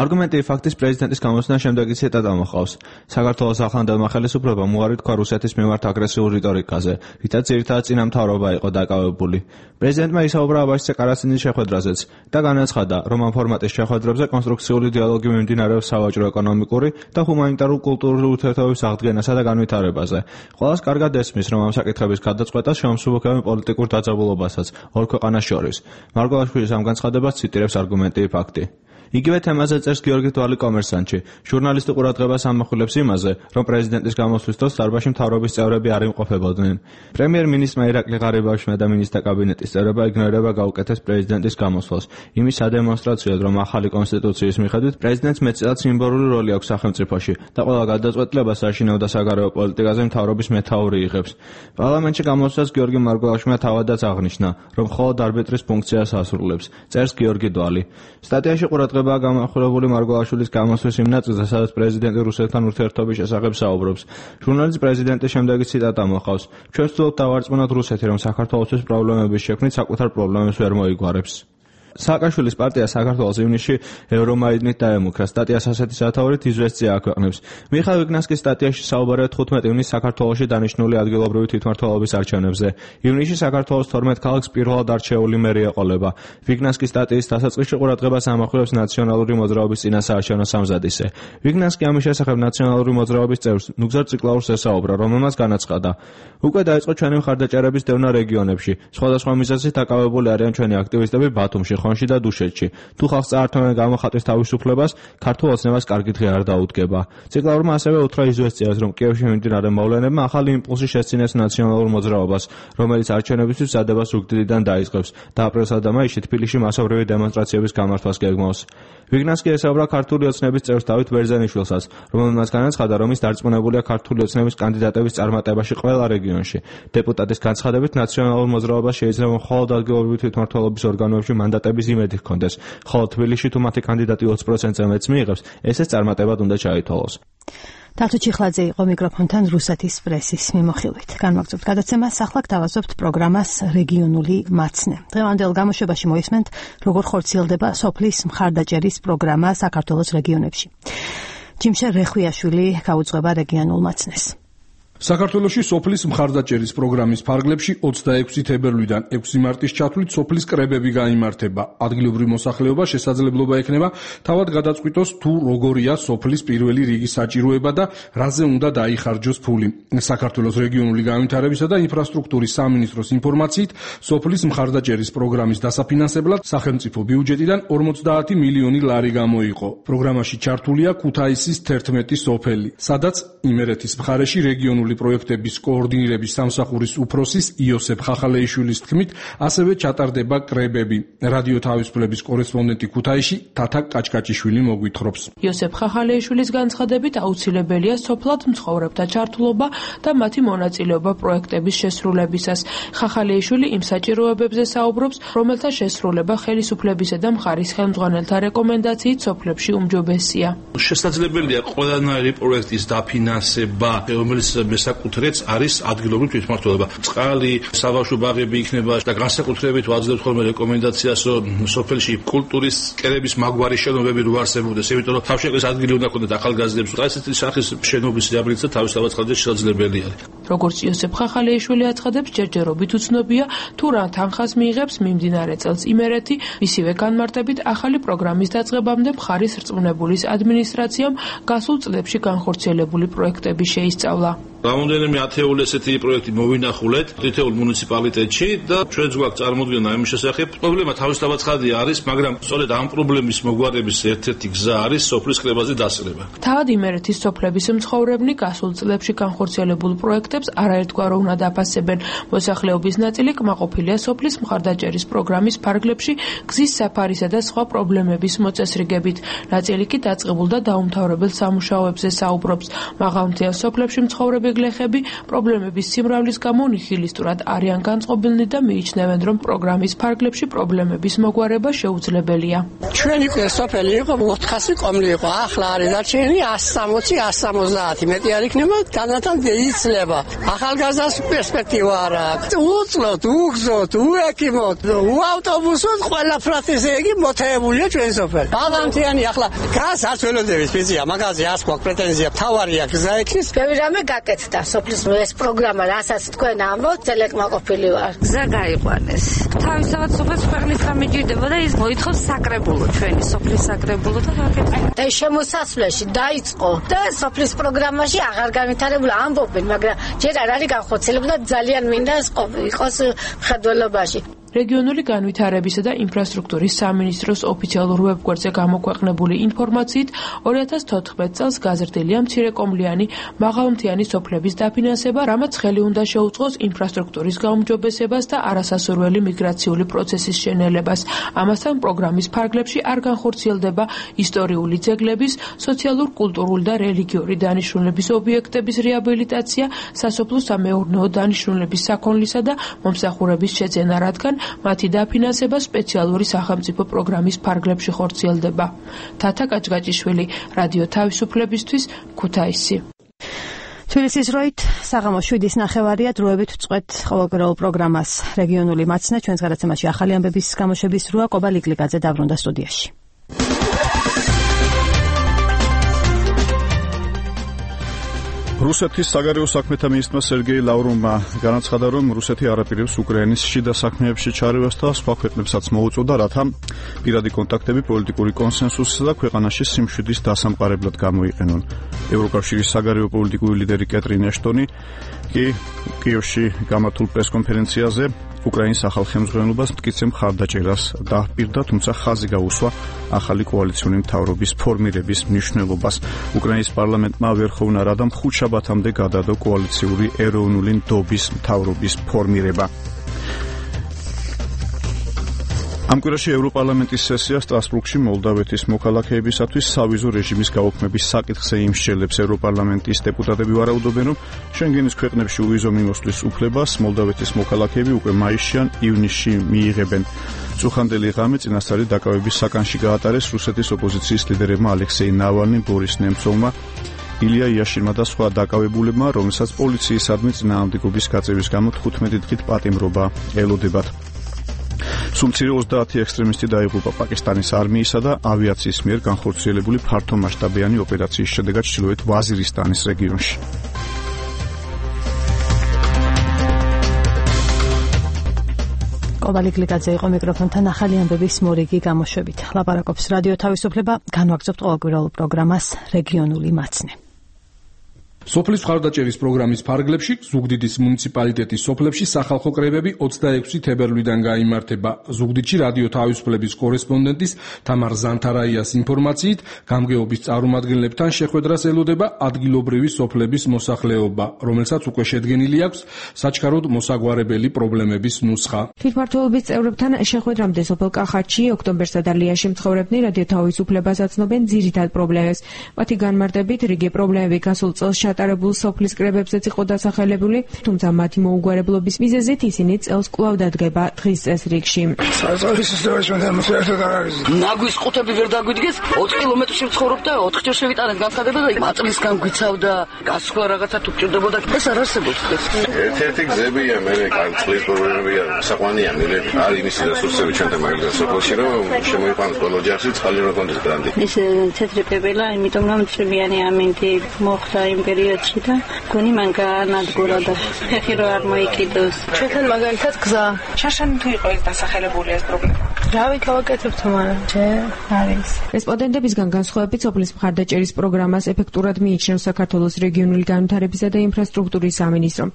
არგუმენტი ფაქტის პრეზიდენტის გამოსვლა შემდეგი ციტატა მოყავს. საქართველოს ახლანდელმა ხელისუფლებამ უარი თქვა რუსეთის მიმართ აგრესიულ რიტორიკაზე, რითაც ძირითადად წინამთავრობა იყო დაკავებული. პრეზიდენტმა ისაუბრა აბაშიძე ყარასინის შეხვედრაზეც და განაცხადა, რომ ამ ფორმატის შეხვედრებზე კონსტრუქციული დიალოგი მიმდინარეობს სავაჭრო-ეკონომიკური და ჰუმანიტარულ-კულტურული ურთიერთობების აღდგენასა და განვითარებაზე. ყველას კარგად ესმის, რომ ამ საკითხების გადაწყვეტა შეუმსუბუქებენ პოლიტიკურ დაძაბულობასაც ორ ქვეყანას შორის. მარგველაშვილის ამ განცხადებას ციტირებს არგუმენტი ფაქტი. იგივე თემაზე წერს გიორგი დვალი კომერსანტში. ჟურნალისტი ყურადღებას ამახვილებს იმაზე, რომ პრეზიდენტის გამოსვლის დროს დარბაზში მთავრობის წევრები არ იმყოფებოდნენ. პრემიერ-მინისტრმა ირაკლი ღარიბაშვილმა და მინისტრთა კაბინეტის წევრებმა იგნორირება გაუკეთეს პრეზიდენტის გამოსვლას. იმის სადემონსტრაციოდ, რომ ახალი კონსტიტუციის მიხედვით პრეზიდენტს მეტწილად სიმბოლური როლი აქვს სახელმწიფოში და ყველა გადაწყვეტილებას საშინაო და საგარეო პოლიტიკაზე მთავრობის მეთაური იღებს. პარლამენტში გამოსვლას გიორგი მარგველაშვილმა თავადაც აღნიშნა, რომ მხოლოდ არბიტრის ფუნქციას ასრულებს. წერს გიორგი დვალი. სტატიაში ყურადღება გამახვილებული მარგველაშვილის გამოსვლის იმ ნაწილზე, სადაც პრეზიდენტი რუსეთთან ურთიერთობის შესახებ საუბრობს. ჟურნალისტ პრეზიდენტის შემდეგი ციტატა მოყავს: ჩვენ ვცდილობთ დავარწმუნოთ რუსეთი, რომ საქართველოსთვის პრობლემების შექმნით საკუთარ პრობლემებს ვერ მოიგვარებს. სააკაშვილის პარტია საქართველოს ივნისში ევრომაიდნით დაემუქრა. სტატიას ასეთი სათაურით იზვესტია აქვეყნებს. მიხაილ ვიგნასკის სტატიაში საუბარია 15 ივნისს საქართველოში დანიშნული ადგილობრივი თვითმმართველობის არჩევნებზე. ივნისში საქართველოს 12 ქალაქს პირველად არჩეული მერი ეყოლება. ვიგნასკის სტატიის დასაწყისში ყურადღებას ამახვილებს ნაციონალური მოძრაობის წინასაარჩევნო სამზადისე. ვიგნასკი ამის შესახებ ნაციონალური მოძრაობის წევრს ნუგზარ ციკლაურს ესაუბრა, რომელმაც განაცხადა: უკვე დაიწყო ჩვენი მხარდაჭერების დევნა რეგიონებში. სხვადასხვა მიზეზით დაკავებული არიან ჩვენი აქტივისტები ბათუმში, ხონში და დუშეთში. თუ ხალხს წაართმევენ გამოხატვის თავისუფლებას, ქართულ ოცნებას კარგი დღე არ დაუდგება. ციკლაურმა ასევე უთხრა იზვესტიას, რომ კიევში მიმდინარე მოვლენებმა ახალი იმპულსი შესწინეს ნაციონალურ მოძრაობას, რომელიც არჩევნებისთვის მზადებას ზუგდიდიდან დაიწყებს და აპრილსა და მაისში თბილისში მასობრივი დემონსტრაციების გამართვას გეგმავს. ვიგნასკი ესაუბრა ქართული ოცნების წევრს დავით ბერძენიშვილსაც, რომელმაც განაცხადა, რომ ის დარწმუნებულია ქართული ოცნების კანდიდატების წარმატებაში ყველა რეგიონში. დეპუტატის განცხადებით, ნაციონალურ მოძრაობას შეიძლება მხოლოდ ადგილობრივი თვითმმართველობის ორგანოებში მანდატების იმედი ჰქონდეს, ხოლო თბილისში თუ მათი კანდიდატი 20%-ზე მეც მიიღებს, ესეც წარმატებად უნდა ჩაითვალოს. თათო ჩიხლაძე იყო მიკროფონთან რუსეთის პრესის მიმოხილვით. განვაგრძობთ გადაცემას, ახლა გთავაზობთ პროგრამას რეგიონული მაცნე. დღევანდელ გამოშვებაში მოისმენთ, როგორ ხორციელდება სოფლის მხარდაჭერის პროგრამა საქართველოს რეგიონებში. ჯიმშე რეხვიაშვილი გაუძღვება რეგიონულ მაცნეს. საქართველოში სოფლის მხარდაჭერის პროგრამის ფარგლებში 26 თებერვლიდან 6 მარტის ჩათვლით სოფლის კრებები გაიმართება. ადგილობრივ მოსახლეობა შესაძლებლობა ექნება თავად გადაწყვიტოს თუ როგორია სოფლის პირველი რიგის საჭიროება და რაზე უნდა დაიხარჯოს ფული. საქართველოს რეგიონული განვითარებისა და ინფრასტრუქტურის სამინისტროს ინფორმაციით, სოფლის მხარდაჭერის პროგრამის დასაფინანსებლად სახელმწიფო ბიუჯეტიდან 50 მილიონი ლარი გამოიყო. პროგრამაში ჩართულია ქუთაისის 11 სოფელი, სადაც იმერეთის მხარეში რეგიონული პროექტების კოორდინირების სამსახურის უფროსის იოსებ ხახალეიშვილის თქმით, ასევე ჩატარდება კრებები. რადიო თავისუფლების კორესპონდენტი ქუთაისში თათა კაჭკაჭიშვილი მოგვითხრობს. იოსებ ხახალეიშვილის განცხადებით აუცილებელია სოფლად მცხოვრებთა ჩართულობა და მათი მონაწილეობა პროექტების შესრულებისას. ხახალეიშვილი იმ საჭიროებებზე საუბრობს, რომელთა შესრულება ხელისუფლებისა და მხარის ხელმძღვანელთა რეკომენდაციით სოფლებში უმჯობესია. შესაძლებელია ყველანაირი პროექტის დაფინანსება, რომელიც საკუთრეც არის ადგილობრივი თვითმმართველობა. წყალი, საბავშვო ბაღები იქნება და განსაკუთრებით ვაძლევთ ხოლმე რეკომენდაციას, რომ სოფელში კულტურის კერების მაგვარი შენობები რო არსებობდეს, იმიტომ რომ თავშეკლის ადგილი უნდა ქონდეთ ახალგაზრდებს. ესეთი სახის შენობის რეაბილიტაცია თავისთავად შესაძლებელი არის. როგორც იოსებ ხახალეიშვილი აცხადებს, ჯერჯერობით უცნობია თუ რა თანხას მიიღებს მიმდინარე წელს იმერეთი, მისივე განმარტებით ახალი პროგრამის დაწყებამდე მხარის რწმუნებულის ადმინისტრაციამ გასულ წლებში განხორციელებული პროექტები შეისწავლა. რამოდენიმე ათეული ესეთი პროექტი მოვინახულეთ თითოეულ მუნიციპალიტეტში და ჩვენც გვაქვს წარმოდგენა იმის შესახებ. პრობლემა თავისთავად ცხადია არის, მაგრამ სწორედ ამ პრობლემის მოგვარების ერთ-ერთი გზა არის სოფლის კრებაზე დასწრება. თავად იმერეთის სოფლების მცხოვრებნი გასულ წლებში განხორციელებულ პროექტებს არაერთგვაროვ უნდა დაფასებენ. მოსახლეობის ნაწილი კმაყოფილია სოფლის მხარდაჭერის პროგრამის ფარგლებში გზის საფარისა და სხვა პრობლემების მოწესრიგებით. ნაწილი კი დაწყებულ და დაუმთავრებელ სამუშაოებზე საუბრობს. მაღალმთიან სოფლებში მცხოვრები მოგეგლეხები პრობლემების სიმრავლის გამო ნიჰილისტურად არიან განწყობილნი და მიიჩნევენ, რომ პროგრამის ფარგლებში პრობლემების მოგვარება შეუძლებელია. ჩვენი სოფელი იყო 400 კომლი იყო, ახლა არის დარჩენილი 160-170, მეტი არ იქნება, განათან იცლება. ახალგაზრდას პერსპექტივა არ აქვს. უწლოთ, უგზოთ, უექიმოთ, უავტობუსოთ, ყველა ფრათისეგი მოთეებულია ჩვენი სოფელი. ბალანტიანი ახლა გას არ ველოდების ფიზია, მაგაზე არ გვაქვს პრეტენზია, თავარია გზა ექის. ბევრი რამე გაკეთდა სოფლის ეს პროგრამა, რასაც თქვენ ამბობთ, წელეკმაყოფილი ვარ. გზა გაიყვანეს. თავისთავად სოფელს ქვეყნის რამე ჭირდება და ის მოითხოვს საკრებულო, ჩვენი სოფლის საკრებულო და გაკეთდა. და შემოსასვლელში დაიწყო და სოფლის პროგრამაში აღარ განვითარებულა ამბობენ, მაგრამ ჯერ არ არის განხორციელებული და ძალიან მინდა იყოს მხედველობაში. რეგიონული განვითარებისა და ინფრასტრუქტურის სამინისტროს ოფიციალურ ვებგვერდზე გამოქვეყნებული ინფორმაციით 2014 წელს გაზრდილია მცირეკომლიანი მაღალმთიანი სოფლების დაფინანსება, რამაც ხელი უნდა შეუწყოს ინფრასტრუქტურის გაუმჯობესებას და არასასურველი მიგრაციული პროცესის შენელებას. ამასთან პროგრამის ფარგლებში არ განხორციელდება ისტორიული ძეგლების, სოციალურ-კულტურული და რელიგიური დანიშნულების ობიექტების რეაბილიტაცია, სასოფლო-სამეურნეო დანიშნულების საქონლისა და მომსახურების შეძენა, რადგან მათი დაფინანსება სპეციალური სახელმწიფო პროგრამის ფარგლებში ხორციელდება. თათა კაჭკაჭიშვილი, რადიო თავისუფლებისთვის, ქუთაისი. თბილისის როით საღამოს 7:09 დროებით ვწყვეთ ყოველკვირეულ პროგრამას რეგიონული მაცნე. ჩვენს გადაცემაში ახალი ამბების გამოშვების როა კობალიგლიკაძე დაბრუნდა სტუდიაში. რუსეთის საგარეო საქმეთა მინისტრმა სერგეი ლავროვმა განაცხადა, რომ რუსეთი არ აპირებს უკრაინის შიდა საქმეებში ჩარევას და სხვა ქვეყნებსაც მოუწოდა, რათა პირადი კონტაქტები პოლიტიკური კონსენსუსსა და ქვეყანაში სიმშვიდის დასამყარებლად გამოიყენონ. ევროკავშირის საგარეო პოლიტიკური ლიდერი კეტრინ ეშტონი კი კიევში გამართულ პრესკონფერენციაზე უკრაინის ახალ ხელმძღვანელობას მტკიცე მხარდაჭერას დაჰპირდა, თუმცა ხაზი გაუსვა ახალი კოალიციური მთავრობის ფორმირების მნიშვნელობას. უკრაინის პარლამენტმა ვერხოვნა რადამ ხუთშაბათამდე გადადო კოალიციური ეროვნული ნდობის მთავრობის ფორმირება. ამ კვირაში ევროპარლამენტის სესია სტრასბურგში მოლდავეთის მოქალაქეებისათვის სავიზო რეჟიმის გაუქმების საკითხზე იმსჯელებს. ევროპარლამენტის დეპუტატები ვარაუდობენ, რომ შენგენის ქვეყნებში უვიზო მიმოსვლის უფლებას მოლდავეთის მოქალაქეები უკვე მაისში ან ივნისში მიიღებენ. წუხანდელი ღამე წინასწარი დაკავების საკანში გაატარეს რუსეთის ოპოზიციის ლიდერებმა ალექსეი ნავალნიმ, ბორის ნემცოვმა, ილია იაშინმა და სხვა დაკავებულებმა, რომელსაც პოლიციისადმი წინააღმდეგობის გაწევის გამო 15 დღით პატიმრობა ელოდებათ. სულ-მცირე 30 ექსტრემისტი დაიღუპა პაკისტანის არმიისა და ავიაციის მიერ განხორციელებული ფართომასშტაბიანი ოპერაციის შედეგად ჩრდილოეთ ვაზირისტანის რეგიონში. კობალიგლიკაძე იყო მიკროფონთან ახალი ამბების მორიგი გამოშვებით. ლაპარაკობს რადიო თავისუფლება, განვაგრძობთ ყოველკვირეულ პროგრამას რეგიონული მაცნე. სოფლის მხარდაჭერის პროგრამის ფარგლებში ზუგდიდის მუნიციპალიტეტის სოფლებში სახალხო კრებები 26 თებერვლიდან გაიმართება. ზუგდიდში რადიო თავისუფლების კორესპონდენტის თამარ ზანთარაიას ინფორმაციით, გამგეობის წარმომადგენლებთან შეხვედრას ელოდება ადგილობრივი სოფლების მოსახლეობა, რომელსაც უკვე შედგენილი აქვს საჩქაროდ მოსაგვარებელი პრობლემების ნუსხა. თვითმმართველობის წევრებთან შეხვედრამდე სოფელ კახეთში, ოქტომბერსა და ლიაში მცხოვრებნი რადიო თავისუფლებას აცნობენ ძირითად პრობლემებს. მათი განმარტებით, რიგი პრობლემები გასულ წელს ჩატარებულ სოფლის კრებებზეც იყო დასახელებული, თუმცა მათი მოუგვარებლობის მიზეზით ისინი წელს კვლავ დადგება დღის წესრიგში. ნაგვის ყუთები ვერ დაგვიდგეს, 20 კილომეტრში ვცხოვრობ და 4 ჯერ შევიტანეთ განცხადება და მაწლისგან გვიცავდა, გასხვა რაღაცა თუ გჭირდებოდა, ეს არ არსებობს დღეს. ერთ-ერთი გზებია, მე წყლის პრობლემებია, საყვანია, მე არის იმისი რესურსები ჩვენთან მაგალითად სოფელში, რომ შემოიყვანოს ყველა ოჯახში წყალი რომ კონდეს ბრანდი. ეს თეთრი პეპელა, იმიტომ რომ წვიანი ამინდი მოხდა იმ პერიოდში და გონი მან გაანადგურა და ფეხი რო არ მოიკიდოს. ჩვენთან მაგალითად გზა. შაშანი თუ იყო ეს დასახელებული ეს პრობლემა. რავი გავაკეთებთ მაგრამ არის. რესპონდენტებისგან განსხვავებით სოფლის მხარდაჭერის პროგრამას ეფექტურად მიიჩნევს საქართველოს რეგიონული განვითარებისა და ინფრასტრუქტურის სამინისტრო.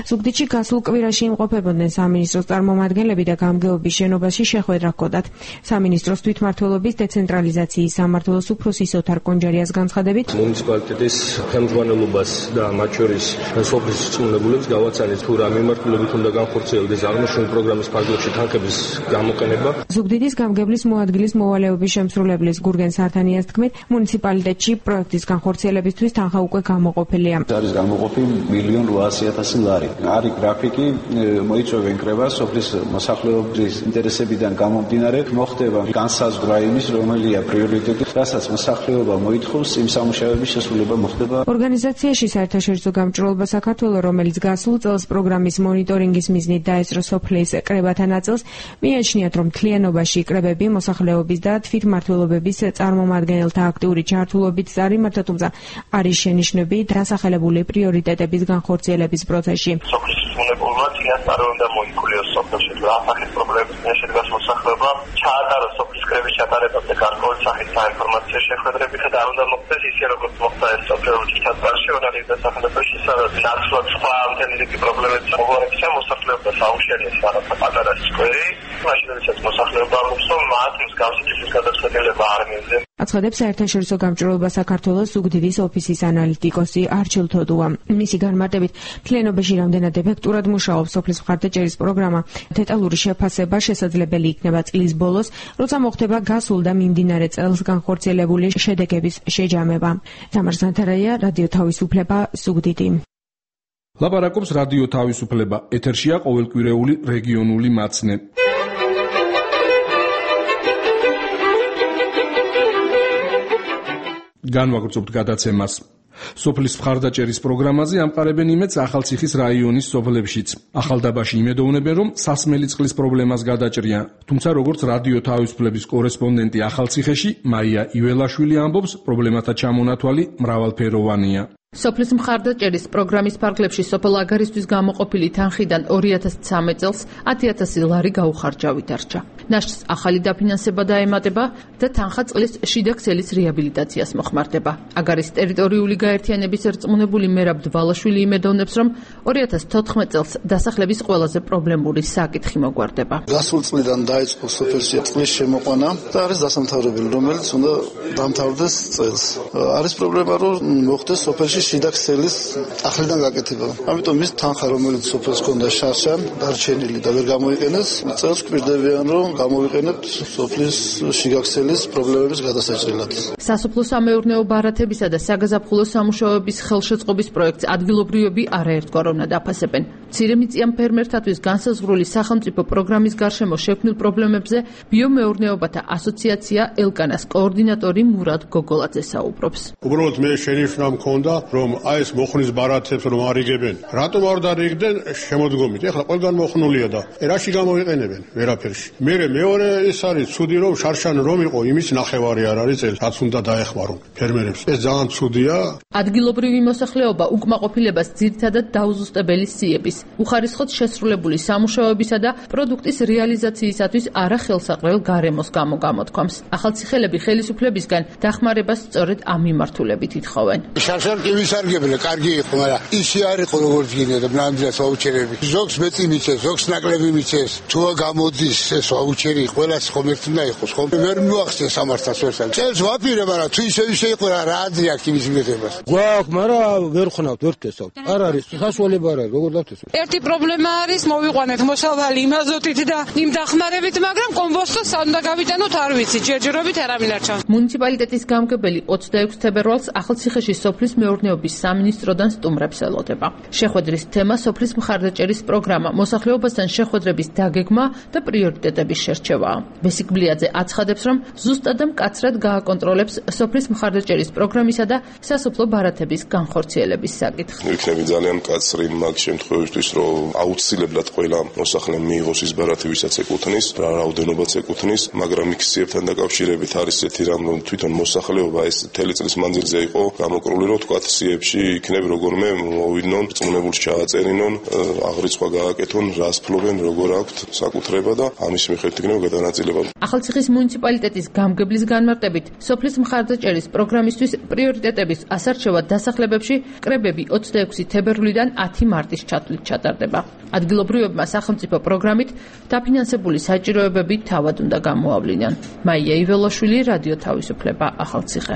ზუგდიდში გასულ კვირაში იმყოფებოდნენ სამინისტროს წარმომადგენლები და გამგეობის შენობაში შეხვედრა ჰქონდათ. სამინისტროს თვითმმართველობის დეცენტრალიზაციის სამმართველოს უფროსის ოთარ კონჯარიას განცხადებით, მუნიციპალიტეტის ხელმძღვანელობას მართლობას და მათ შორის სოფლის რწმუნებულებს გავაცანით თუ რა მიმართულებით უნდა განხორციელდეს აღნიშნული პროგრამის ფარგლებში თანხების გამოყენება. ზუგდიდის გამგებლის მოადგილის მოვალეობის შემსრულებლის გურგენ სართანიას თქმით, მუნიციპალიტეტში პროექტის განხორციელებისთვის თანხა უკვე გამოყოფილია. არის გამოყოფილი 1.8 მილიონ ლარი. არის გრაფიკი, მოიწვევენ კრება სოფლის მოსახლეობის ინტერესებიდან გამომდინარე, მოხდება განსაზღვრა იმის, რომელია პრიორიტეტი, რასაც მოსახლეობა მოითხოვს, იმ სამუშაოების შესრულება მოხდება. ორგანიზაციაში საერთაშორისო გამჭვირვალობა საქართველოს, რომელიც გასულ წელს პროგრამის მონიტორინგის მიზნით დაესწრო სოფლის კრებათა ნაწილს, მიიჩნიათ, რომ მთლიანობაში კრებები მოსახლეობის და თვითმმართველობების წარმომადგენელთა აქტიური ჩართულობით წარიმართა, თუმცა არის შენიშვნები დასახელებული პრიორიტეტების განხორციელების პროცესში. სოფლის რწმუნებულმა წინასწარ უნდა მოიქულიოს სოფელში ასახეთ პრობლემების შედგას მოსახლეობა, ჩაატაროს სოფლის კრების ჩატარებაზე გარკვეული სახის საინფორმაციო შეხვედრებითა და არ უნდა მოხდეს ისე, როგორც მოხდა ეს სოფელში ჩატარში, ორალიზ დასახელებაში, სადაც ნაცვლად სხვა მთელი რიგი პრობლემებიც მოგვარებია მოსახლეობას აუშენებს რაღაცა პატარა სკვერი, მაშინ როდესაც მოსახლეობა ამბობს, რომ მათ მსგავსი ტიპის გადაწყვეტილება არ მიიღეს. აცხადებს საერთაშორისო გამჭვირვალობა საქართველოს ზუგდიდის ოფისის ანალიტიკოსი არჩილ თოდუა. მისი განმარტებით, მთლიანობაში რამდენად ეფექტურად მუშაობს სოფლის მხარდაჭერის პროგრამა, დეტალური შეფასება შესაძლებელი იქნება წლის ბოლოს, როცა მოხდება გასულ და მიმდინარე წელს განხორციელებული შედეგების შეჯამება. თამარ ზანთარაია, რადიო თავისუფლება, ზუგდიდი. ლაპარაკობს რადიო თავისუფლება. ეთერშია ყოველკვირეული რეგიონული მაცნე. განვაგრძობთ გადაცემას. სოფლის მხარდაჭერის პროგრამაზე ამყარებენ იმედს ახალციხის რაიონის სოფლებშიც. ახალდაბაში იმედოვნებენ, რომ სასმელი წყლის პრობლემას გადაჭრიან. თუმცა როგორც რადიო თავისუფლების კორესპონდენტი ახალციხეში მაია იველაშვილი ამბობს, პრობლემათა ჩამონათვალი მრავალფეროვანია. სოფლის მხარდაჭერის პროგრამის ფარგლებში სოფელ აგარისთვის გამოყოფილი თანხიდან 2013 წელს 10,000 ლარი გაუხარჯავი დარჩა. ნაშთს ახალი დაფინანსება დაემატება და თანხა წყლის შიდა ქსელის რეაბილიტაციას მოხმარდება. აგარის ტერიტორიული გაერთიანების რწმუნებული მერაბ დვალაშვილი იმედოვნებს, რომ 2014 წელს დასახლების ყველაზე პრობლემური საკითხი მოგვარდება. გასულ წლიდან დაიწყო სოფელში წყლის შემოყვანა და არის დასამთავრებელი, რომელიც უნდა დამთავრდეს წელს. არის პრობლემა, რომ მოხდეს სოფელში შიდა ქსელის ახლიდან გაკეთება. ამიტომ ის თანხა, რომელიც სოფელს ჰქონდა შარშან, დარჩენილი და ვერ გამოიყენეს, წელს გვპირდებიან, რომ გამოვიყენებთ სოფლის შიგა ქსელის პრობლემების გადასაჭრელად. სასოფლო-სამეურნეო ბარათებისა და საგაზაფხულო სამუშაოების ხელშეწყობის პროექტს ადგილობრივები არაერთგვარ უნდა დაფასებენ. მცირემიწიან ფერმერთათვის განსაზღვრული სახელმწიფო პროგრამის გარშემო შექმნილ პრობლემებზე ბიომეურნეობათა ასოციაცია ელკანას კოორდინატორი მურად გოგოლაძე საუბრობს. უბრალოდ მე შენიშვნა მქონდა, რომ აი ეს მოხნის ბარათებს რომ არიგებენ. რატომ არ დარიგდნენ შემოდგომით? ეხლა ყველგან მოხნულია და რაში გამოვიყენებენ? ვერაფერში. მეორე ის არის ცუდი, რომ შარშან რომ იყო, იმის ნახევარი არ არის წელს, რაც უნდა დაეხმარონ ფერმერებს. ეს ძალიან ცუდია. ადგილობრივი მოსახლეობა უკმაყოფილებას ძირითადად დაუზუსტებელი სიების, უხარისხოდ შესრულებული სამუშაოებისა და პროდუქტის რეალიზაციისათვის არახელსაყრელ გარემოს გამო გამოთქვამს. ახალციხელები ხელისუფლებისგან დახმარებას სწორედ ამ მიმართულებით ითხოვენ. შარშან კი ვისარგებლე, კარგი იყო, მაგრამ ისი არ იყო როგორც გინდა ნამდვილად ვაუჩერები. ზოგს მეწი მიცეს, ზოგს ნაკლები მიცეს. თუ გამოდის ეს ვაუჩერი, ყველას ხომ ერთ უნდა იყოს, ხომ? ვერ მოახსენე სამართალს ვერსან. წელს ვაპირე, მაგრამ თუ ისე იყო რა აზრი აქვს იმის მიღებას. გვაქვს, მაგრამ ვერ ხნავთ, ვერ ვთესავთ. არ არის, სასუალება არ არის, როგორ დავთესავთ? ერთი პრობლემა არის, მოვიყვანეთ მოსავალი იმ აზოტით და იმ დახმარებით, მაგრამ კომბოსტოს სამ უნდა გავიტანოთ, არ ვიცი, ჯერჯერობით არავინ არ ჩანს. მუნიციპალიტეტის გამგებელი 26 თებერვალს ახალციხეში სოფლის მეურნეობის სამინისტროდან სტუმრებს ელოდება. შეხვედრის თემა სოფლის მხარდაჭერის პროგრამა, მოსახლეობასთან შეხვედრების დაგეგმა და პრიორიტეტების შერჩევაა. ბესიკბლიაძე აცხადებს, რომ ზუსტად და მკაცრად გააკონტროლებს სოფლის მხარდაჭერის პროგრამისა და სასოფლო ბარათების განხორციელების საკითხს. იქნება ძალიან მკაცრი მაგ შემთხვევისთვის, რომ აუცილებლად ყველა მოსახლემ მიიღოს ის ბარათი, ვისაც ეკუთვნის, რაოდენობაც ეკუთვნის, მაგრამ მიქციებთან დაკავშირებით არის ესეთი რამ, რომ თვითონ მოსახლეობა ეს მთელი წლის მანძილზე იყო გამოკრული, რომ თქვათ სიებში იქნებ როგორმე მოვიდნონ, რწმუნებულს ჩააწერინონ, აღრიცხვა გააკეთონ, რას ფლობენ, როგორ აქვთ საკუთრება და ამის მიხედვით იქნება გადანაწილება. ახალციხის მუნიციპალიტეტის გამგებლის განმარტებით, სოფლის მხარდაჭერის პროგრამისთვის პრიორიტეტების ასარჩევად დასახლებებში კრებები 26 თებერვლიდან 10 მარტის ჩათვლით ჩატარდება. ადგილობრივებმა სახელმწიფო პროგრამით დაფინანსებული საჭიროებები თავად უნდა გამოავლინონ. მაია იველაშვილი, რადიო თავისუფლება, ახალციხე.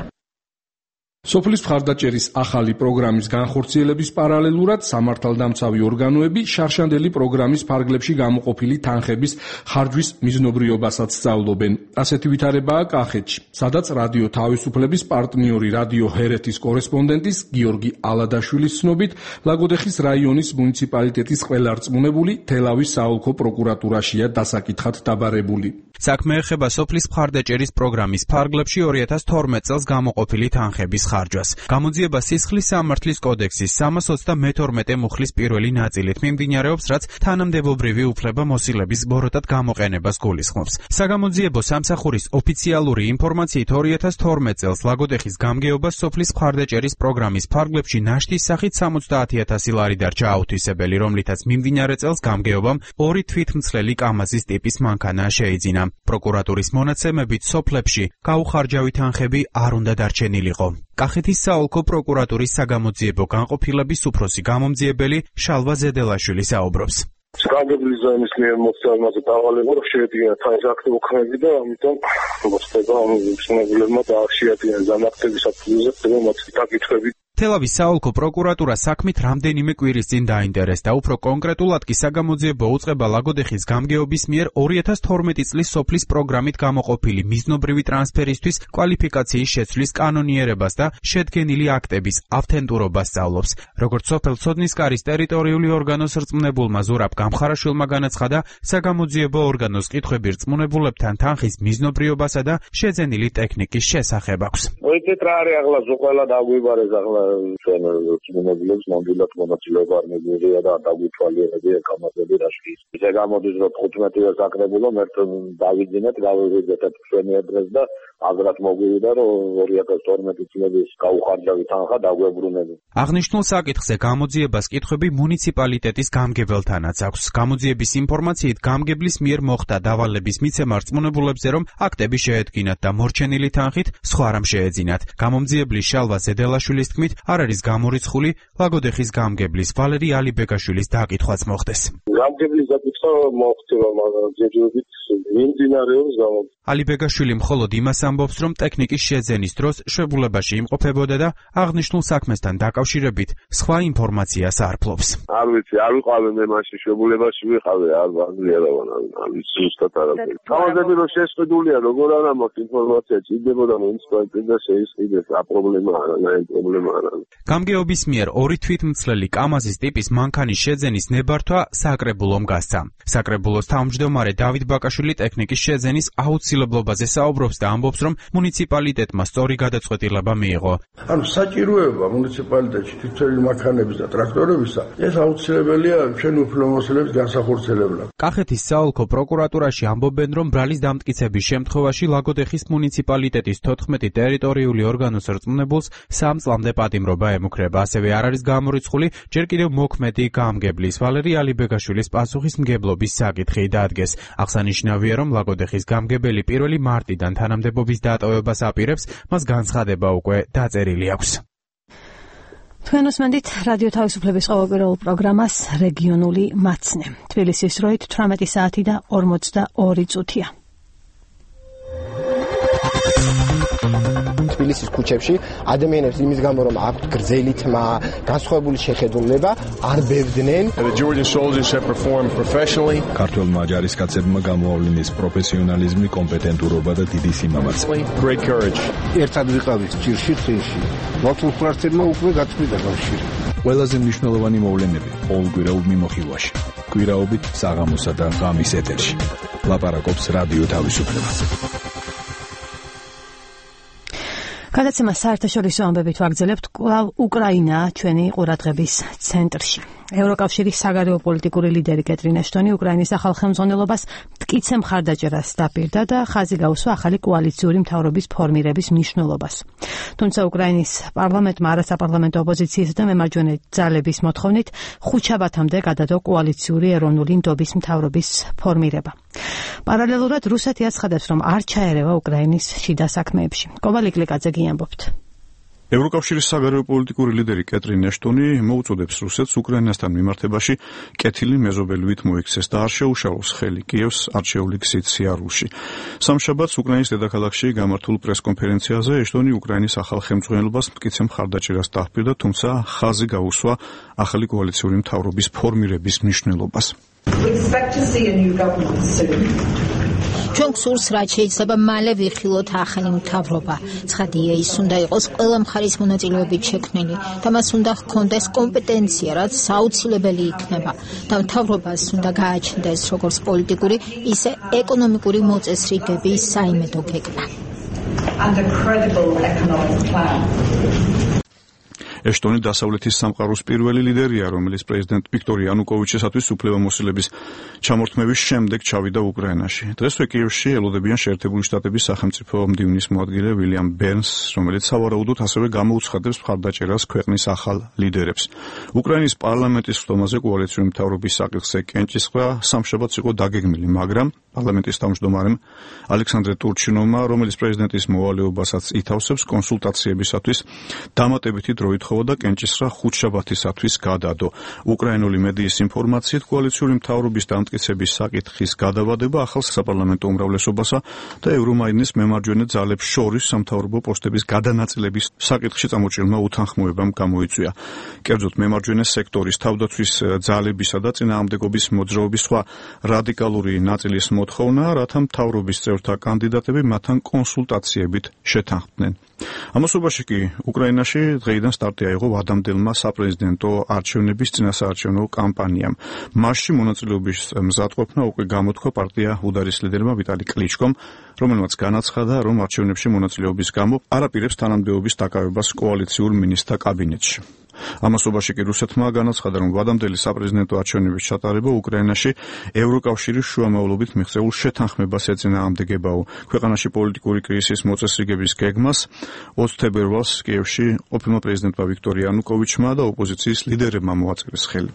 სოფლის მხარდაჭერის ახალი პროგრამის განხორციელების პარალელურად სამართალდამცავი ორგანოები შარშანდელი პროგრამის ფარგლებში გამოყოფილი თანხების ხარჯვის მიზნობრიობასაც სწავლობენ. ასეთი ვითარებაა კახეთში, სადაც რადიო თავისუფლების პარტნიორი რადიო ჰერეთის კორესპონდენტის გიორგი ალადაშვილის ცნობით, ლაგოდეხის რაიონის მუნიციპალიტეტის ყველა რწმუნებული თელავის საოლქო პროკურატურაშია დასაკითხად დაბარებული. საქმე ეხება სოფლის მხარდაჭერის პროგრამის ფარგლებში 2012 წელს გამოყოფილი თანხების ხარჯვას. გამოძიება სისხლის სამართლის კოდექსის 322 მუხლის პირველი ნაწილით მიმდინარეობს, რაც თანამდებობრივი უფლებამოსილების ბოროტად გამოყენებას გულისხმობს. საგამოძიებო სამსახურის ოფიციალური ინფორმაციით 2012 წელს ლაგოდეხის გამგეობას სოფლის მხარდაჭერის პროგრამის ფარგლებში ნაშთის სახით 70,000 ლარი დარჩა აუთვისებელი, რომლითაც მიმდინარე წელს გამგეობამ 2 თვითმცლელი კამაზის ტიპის მანქანა შეიძინა. პროკურატურის მონაცემებით სოფლებში გაუხარჯავი თანხები არ უნდა დარჩენილიყო. კახეთის საოლქო პროკურატურის საგამოძიებო განყოფილების უფროსი გამომძიებელი შალვა ზედელაშვილი საუბრობს. საგანგებლის ზონის მიერ მოხსნაზე დავალება შეედგინა თანხის აქტი უქმები და ამიტომ მოხდება მშენებლებმა დაახშიათინეს ზამთრის საფუძველზე ხდება მათი დაკითხვები. თელავის საოლქო პროკურატურა საქმით რამდენიმე კვირის წინ დაინტერესდა. უფრო კონკრეტულად კი საგამოძიებო უწყება ლაგოდეხის გამგეობის მიერ 2012 წლის სოფლის პროგრამით გამოყოფილი მიზნობრივი ტრანსფერისთვის კვალიფიკაციის შეცვლის კანონიერებას და შედგენილი აქტების ავთენტურობას სწავლობს. როგორც სოფელ ცოდნისკარის ტერიტორიული ორგანოს რწმუნებულმა ზურაბ გამხარაშვილმა განაცხადა, საგამოძიებო ორგანოს კითხვები რწმუნებულებთან თანხის მიზნობრიობასა და შეძენილი ტექნიკის შესახებ აქვს. მოიწეტრარი ახლა ზოყელა დაგვიბარეს ახლა ჩვენ რწმუნებულებს ნამდვილად მონაწილეობა არ მიგიღია და დაგვითვალიერებია კამაზები რაში. ისე გამოდის რომ 15-ზე საკრებულო მერტ დავიძინეთ, გავივიძეთ ჩვენი ადრეს და აგრად მოგვივიდა რომ 2012 წლების გაუხარჯავი თანხა დაგვებრუნებინ. აღნიშნულ საკითხზე გამოძიებას კითხვები მუნიციპალიტეტის გამგებელთანაც აქვს. გამოძიების ინფორმაციით გამგებლის მიერ მოხდა დავალების მიცემა რწმუნებულებზე, რომ აქტები შეედგინათ და მორჩენილი თანხით სხვა რამ შეეძინათ. გამომძიებლის შალვა ზედელაშვილის თქმით, არ არის გამორიცხული ლაგოდეხის გამგებლის ვალერი ალიბეგაშვილის დაკითხვაც მოხდეს. გამგებლის დაკითხვა მოხდება, მაგრამ ჯერჯერობით მიმდინარეობს გამოძიება. ალიბეგაშვილი მხოლოდ იმას ამბობს, რომ ტექნიკის შეძენის დროს შვებულებაში იმყოფებოდა და აღნიშნულ საქმესთან დაკავშირებით სხვა ინფორმაციას არ ფლობს. არ ვიცი, არ ვიყავი მე მაშინ შვებულებაში ვიყავი, არ ვიცი ზუსტად არ ვიცი. კამაზები რომ შესყიდულია, როგორ არ მაქვს ინფორმაცია, ჭირდებოდა მუნიციპალიტეტს და შეისყიდეს, რა პრობლემა არა, პრობლემა არა. გამგეობის მიერ 2 თვითმცლელი კამაზის ტიპის მანქანის შეძენის ნებართვა საკრებულომ გასცა. საკრებულოს თავმჯდომარე დავით ბაკაშვილი ტექნიკის შეძენის აუცილებლობაზე საუბრობს და ამბობს, რომ მუნიციპალიტეტმა სწორი გადაწყვეტილება მიიღო. ანუ საჭიროება მუნიციპალიტეტში თვითმცლელი მანქანების და ტრაქტორებისა ეს აუცილებელია ჩვენ უფლებამოსილების განსახორციელებლად. კახეთის საოლქო პროკურატურაში ამბობენ, რომ ბრალის დამტკიცების შემთხვევაში ლაგოდეხის მუნიციპალიტეტის 14 ტერიტორიული ორგანოს რწმუნებულს 3 წლამდე პატიმრობა ემუქრება. ასევე არ არის გამორიცხული ჯერ კიდევ მოქმედი გამგებლის ვალერი ალიბეგაშვილის პასუხისმგებლობის საკითხი დაადგეს. აღსანიშნავია, რომ ლაგოდეხის გამგებელი 1 მარტიდან თანამდებობის დატოვებას აპირებს, მას განცხადება უკვე დაწერილი აქვს. თქვენ უსმენთ რადიო თავისუფლების ყოველკვირეულ პროგრამას რეგიონული მაცნე. თბილისის დროით 18 საათი და 42 წუთია. თბილისის ქუჩებში ადამიანებს იმის გამო რომ აქვთ გრძელი თმა, განსხვავებული შეხედულება, არ ბევდნენ. ქართველმა ჯარისკაცებმა გამოავლინეს პროფესიონალიზმი, კომპეტენტურობა და დიდი სიმამაცე. ერთად ვიყავით ჭირში წინში. მართულ ფრთებმა უკვე გაწყვიტა კავშირი. ყველაზე მნიშვნელოვანი მოვლენები ყოველკვირეულ მიმოხილვაში. კვირაობით საღამოსა და ღამის ეთერში. ლაპარაკობს რადიო თავისუფლება. გადაცემა საერთაშორისო ამბებით ვაგრძელებთ. კვლავ უკრაინაა ჩვენი ყურადღების ცენტრში. ევროკავშირის საგარეო პოლიტიკური ლიდერი კეტრინ აშტონი უკრაინის ახალ ხელმძღვანელობას მტკიცე მხარდაჭერას დაპირდა და ხაზი გაუსვა ახალი კოალიციური მთავრობის ფორმირების მნიშვნელობას. თუმცა უკრაინის პარლამენტმა არასაპარლამენტო ოპოზიციისა და მემარჯვენე ძალების მოთხოვნით ხუთშაბათამდე გადადო კოალიციური ეროვნული ნდობის მთავრობის ფორმირება. პარალელურად რუსეთი აცხადებს, რომ არ ჩაერევა უკრაინის შიდა საქმეებში. კოვალიკლიაკაძე გიამბობთ. ევროკავშირის საგარეო პოლიტიკური ლიდერი კეტრინ ეშტონი მოუწოდებს რუსეთს უკრაინასთან მიმართებაში კეთილი მეზობელივით მოიქცეს და არ შეუშალოს ხელი კიევს არჩეული გზით სიარულში. სამშაბათს უკრაინის დედაქალაქში გამართულ პრესკონფერენციაზე ეშტონი უკრაინის ახალ ხელმძღვანელობას მტკიცე მხარდაჭერას დაჰპირდა, თუმცა ხაზი გაუსვა ახალი კოალიციური მთავრობის ფორმირების მნიშვნელობას. ჩვენ გსურს, რაც შეიძლება მალე ვიხილოთ ახალი მთავრობა. ცხადია, ის უნდა იყოს ყველა მხარის მონაწილეობით შექმნილი და მას უნდა ჰქონდეს კომპეტენცია, რაც საუცილებელი იქნება და მთავრობას უნდა გააჩნდეს როგორც პოლიტიკური, ისე ეკონომიკური მოწესრიგების საიმედო გეგმა. ეშტონი დასავლეთის სამყაროს პირველი ლიდერია, რომელიც პრეზიდენტ ვიქტორ იანუკოვიჩისათვის უფლებამოსილების ჩამორთმევის შემდეგ ჩავიდა უკრაინაში. დღესვე კიევში ელოდებიან შეერთებული შტატების სახელმწიფო მდივნის მოადგილე ვილიამ ბერნს, რომელიც სავარაუდოდ ასევე გამოუცხადებს მხარდაჭერას ქვეყნის ახალ ლიდერებს. უკრაინის პარლამენტის ხდომაზე კოალიციური მთავრობის საკითხზე კენჭისყრა სამშაბათს იყო დაგეგმილი, მაგრამ პარლამენტის თავმჯდომარემ ალექსანდრე ტურჩინოვმა, რომელიც პრეზიდენტის მოვალეობასაც ითავსებს კონსულტაციებისათვის, დამატებითი დრო ითხოვა და კენჭისყრა ხუთშაბათისათვის გადადო. უკრაინული მედიის ინფორმაციით, კოალიციური მთავრობის დამტკიცების საკითხის გადავადება ახალ საპარლამენტო უმრავლესობასა და ევრომაიდნის მემარჯვენე ძალებს შორის სამთავრობო პოსტების გადანაწილების საკითხში წამოჭრილმა უთანხმოებამ გამოიწვია. კერძოდ, მემარჯვენე სექტორის თავდაცვის ძალებისა და წინააღმდეგობის მოძრაობის სხვა რადიკალური ნაწილის მოთხოვნა, რათა მთავრობის წევრთა კანდიდატები მათთან კონსულტაციებით შეთანხმდნენ. ამასობაში კი უკრაინაში დღეიდან სტარტი აიღო ვადამდელმა საპრეზიდენტო არჩევნების წინასაარჩევნო კამპანიამ. მასში მონაწილეობის მზადყოფნა უკვე გამოთქვა პარტია უდარის ლიდერმა ვიტალი კლიჩკომ, რომელმაც განაცხადა, რომ არჩევნებში მონაწილეობის გამო არ აპირებს თანამდებობის დაკავებას კოალიციურ მინისტრთა კაბინეტში. ამასობაში კი რუსეთმა განაცხადა, რომ ვადამდელი საპრეზიდენტო არჩევნების ჩატარება უკრაინაში ევროკავშირის შუამავლობით მიღწეულ შეთანხმებას ეწინააღმდეგებაო. ქვეყანაში პოლიტიკური კრიზისის მოწესრიგების გეგმას 20 თებერვალს კიევში ყოფილმა პრეზიდენტმა ვიქტორ იანუკოვიჩმა და ოპოზიციის ლიდერებმა მოაწერეს ხელი.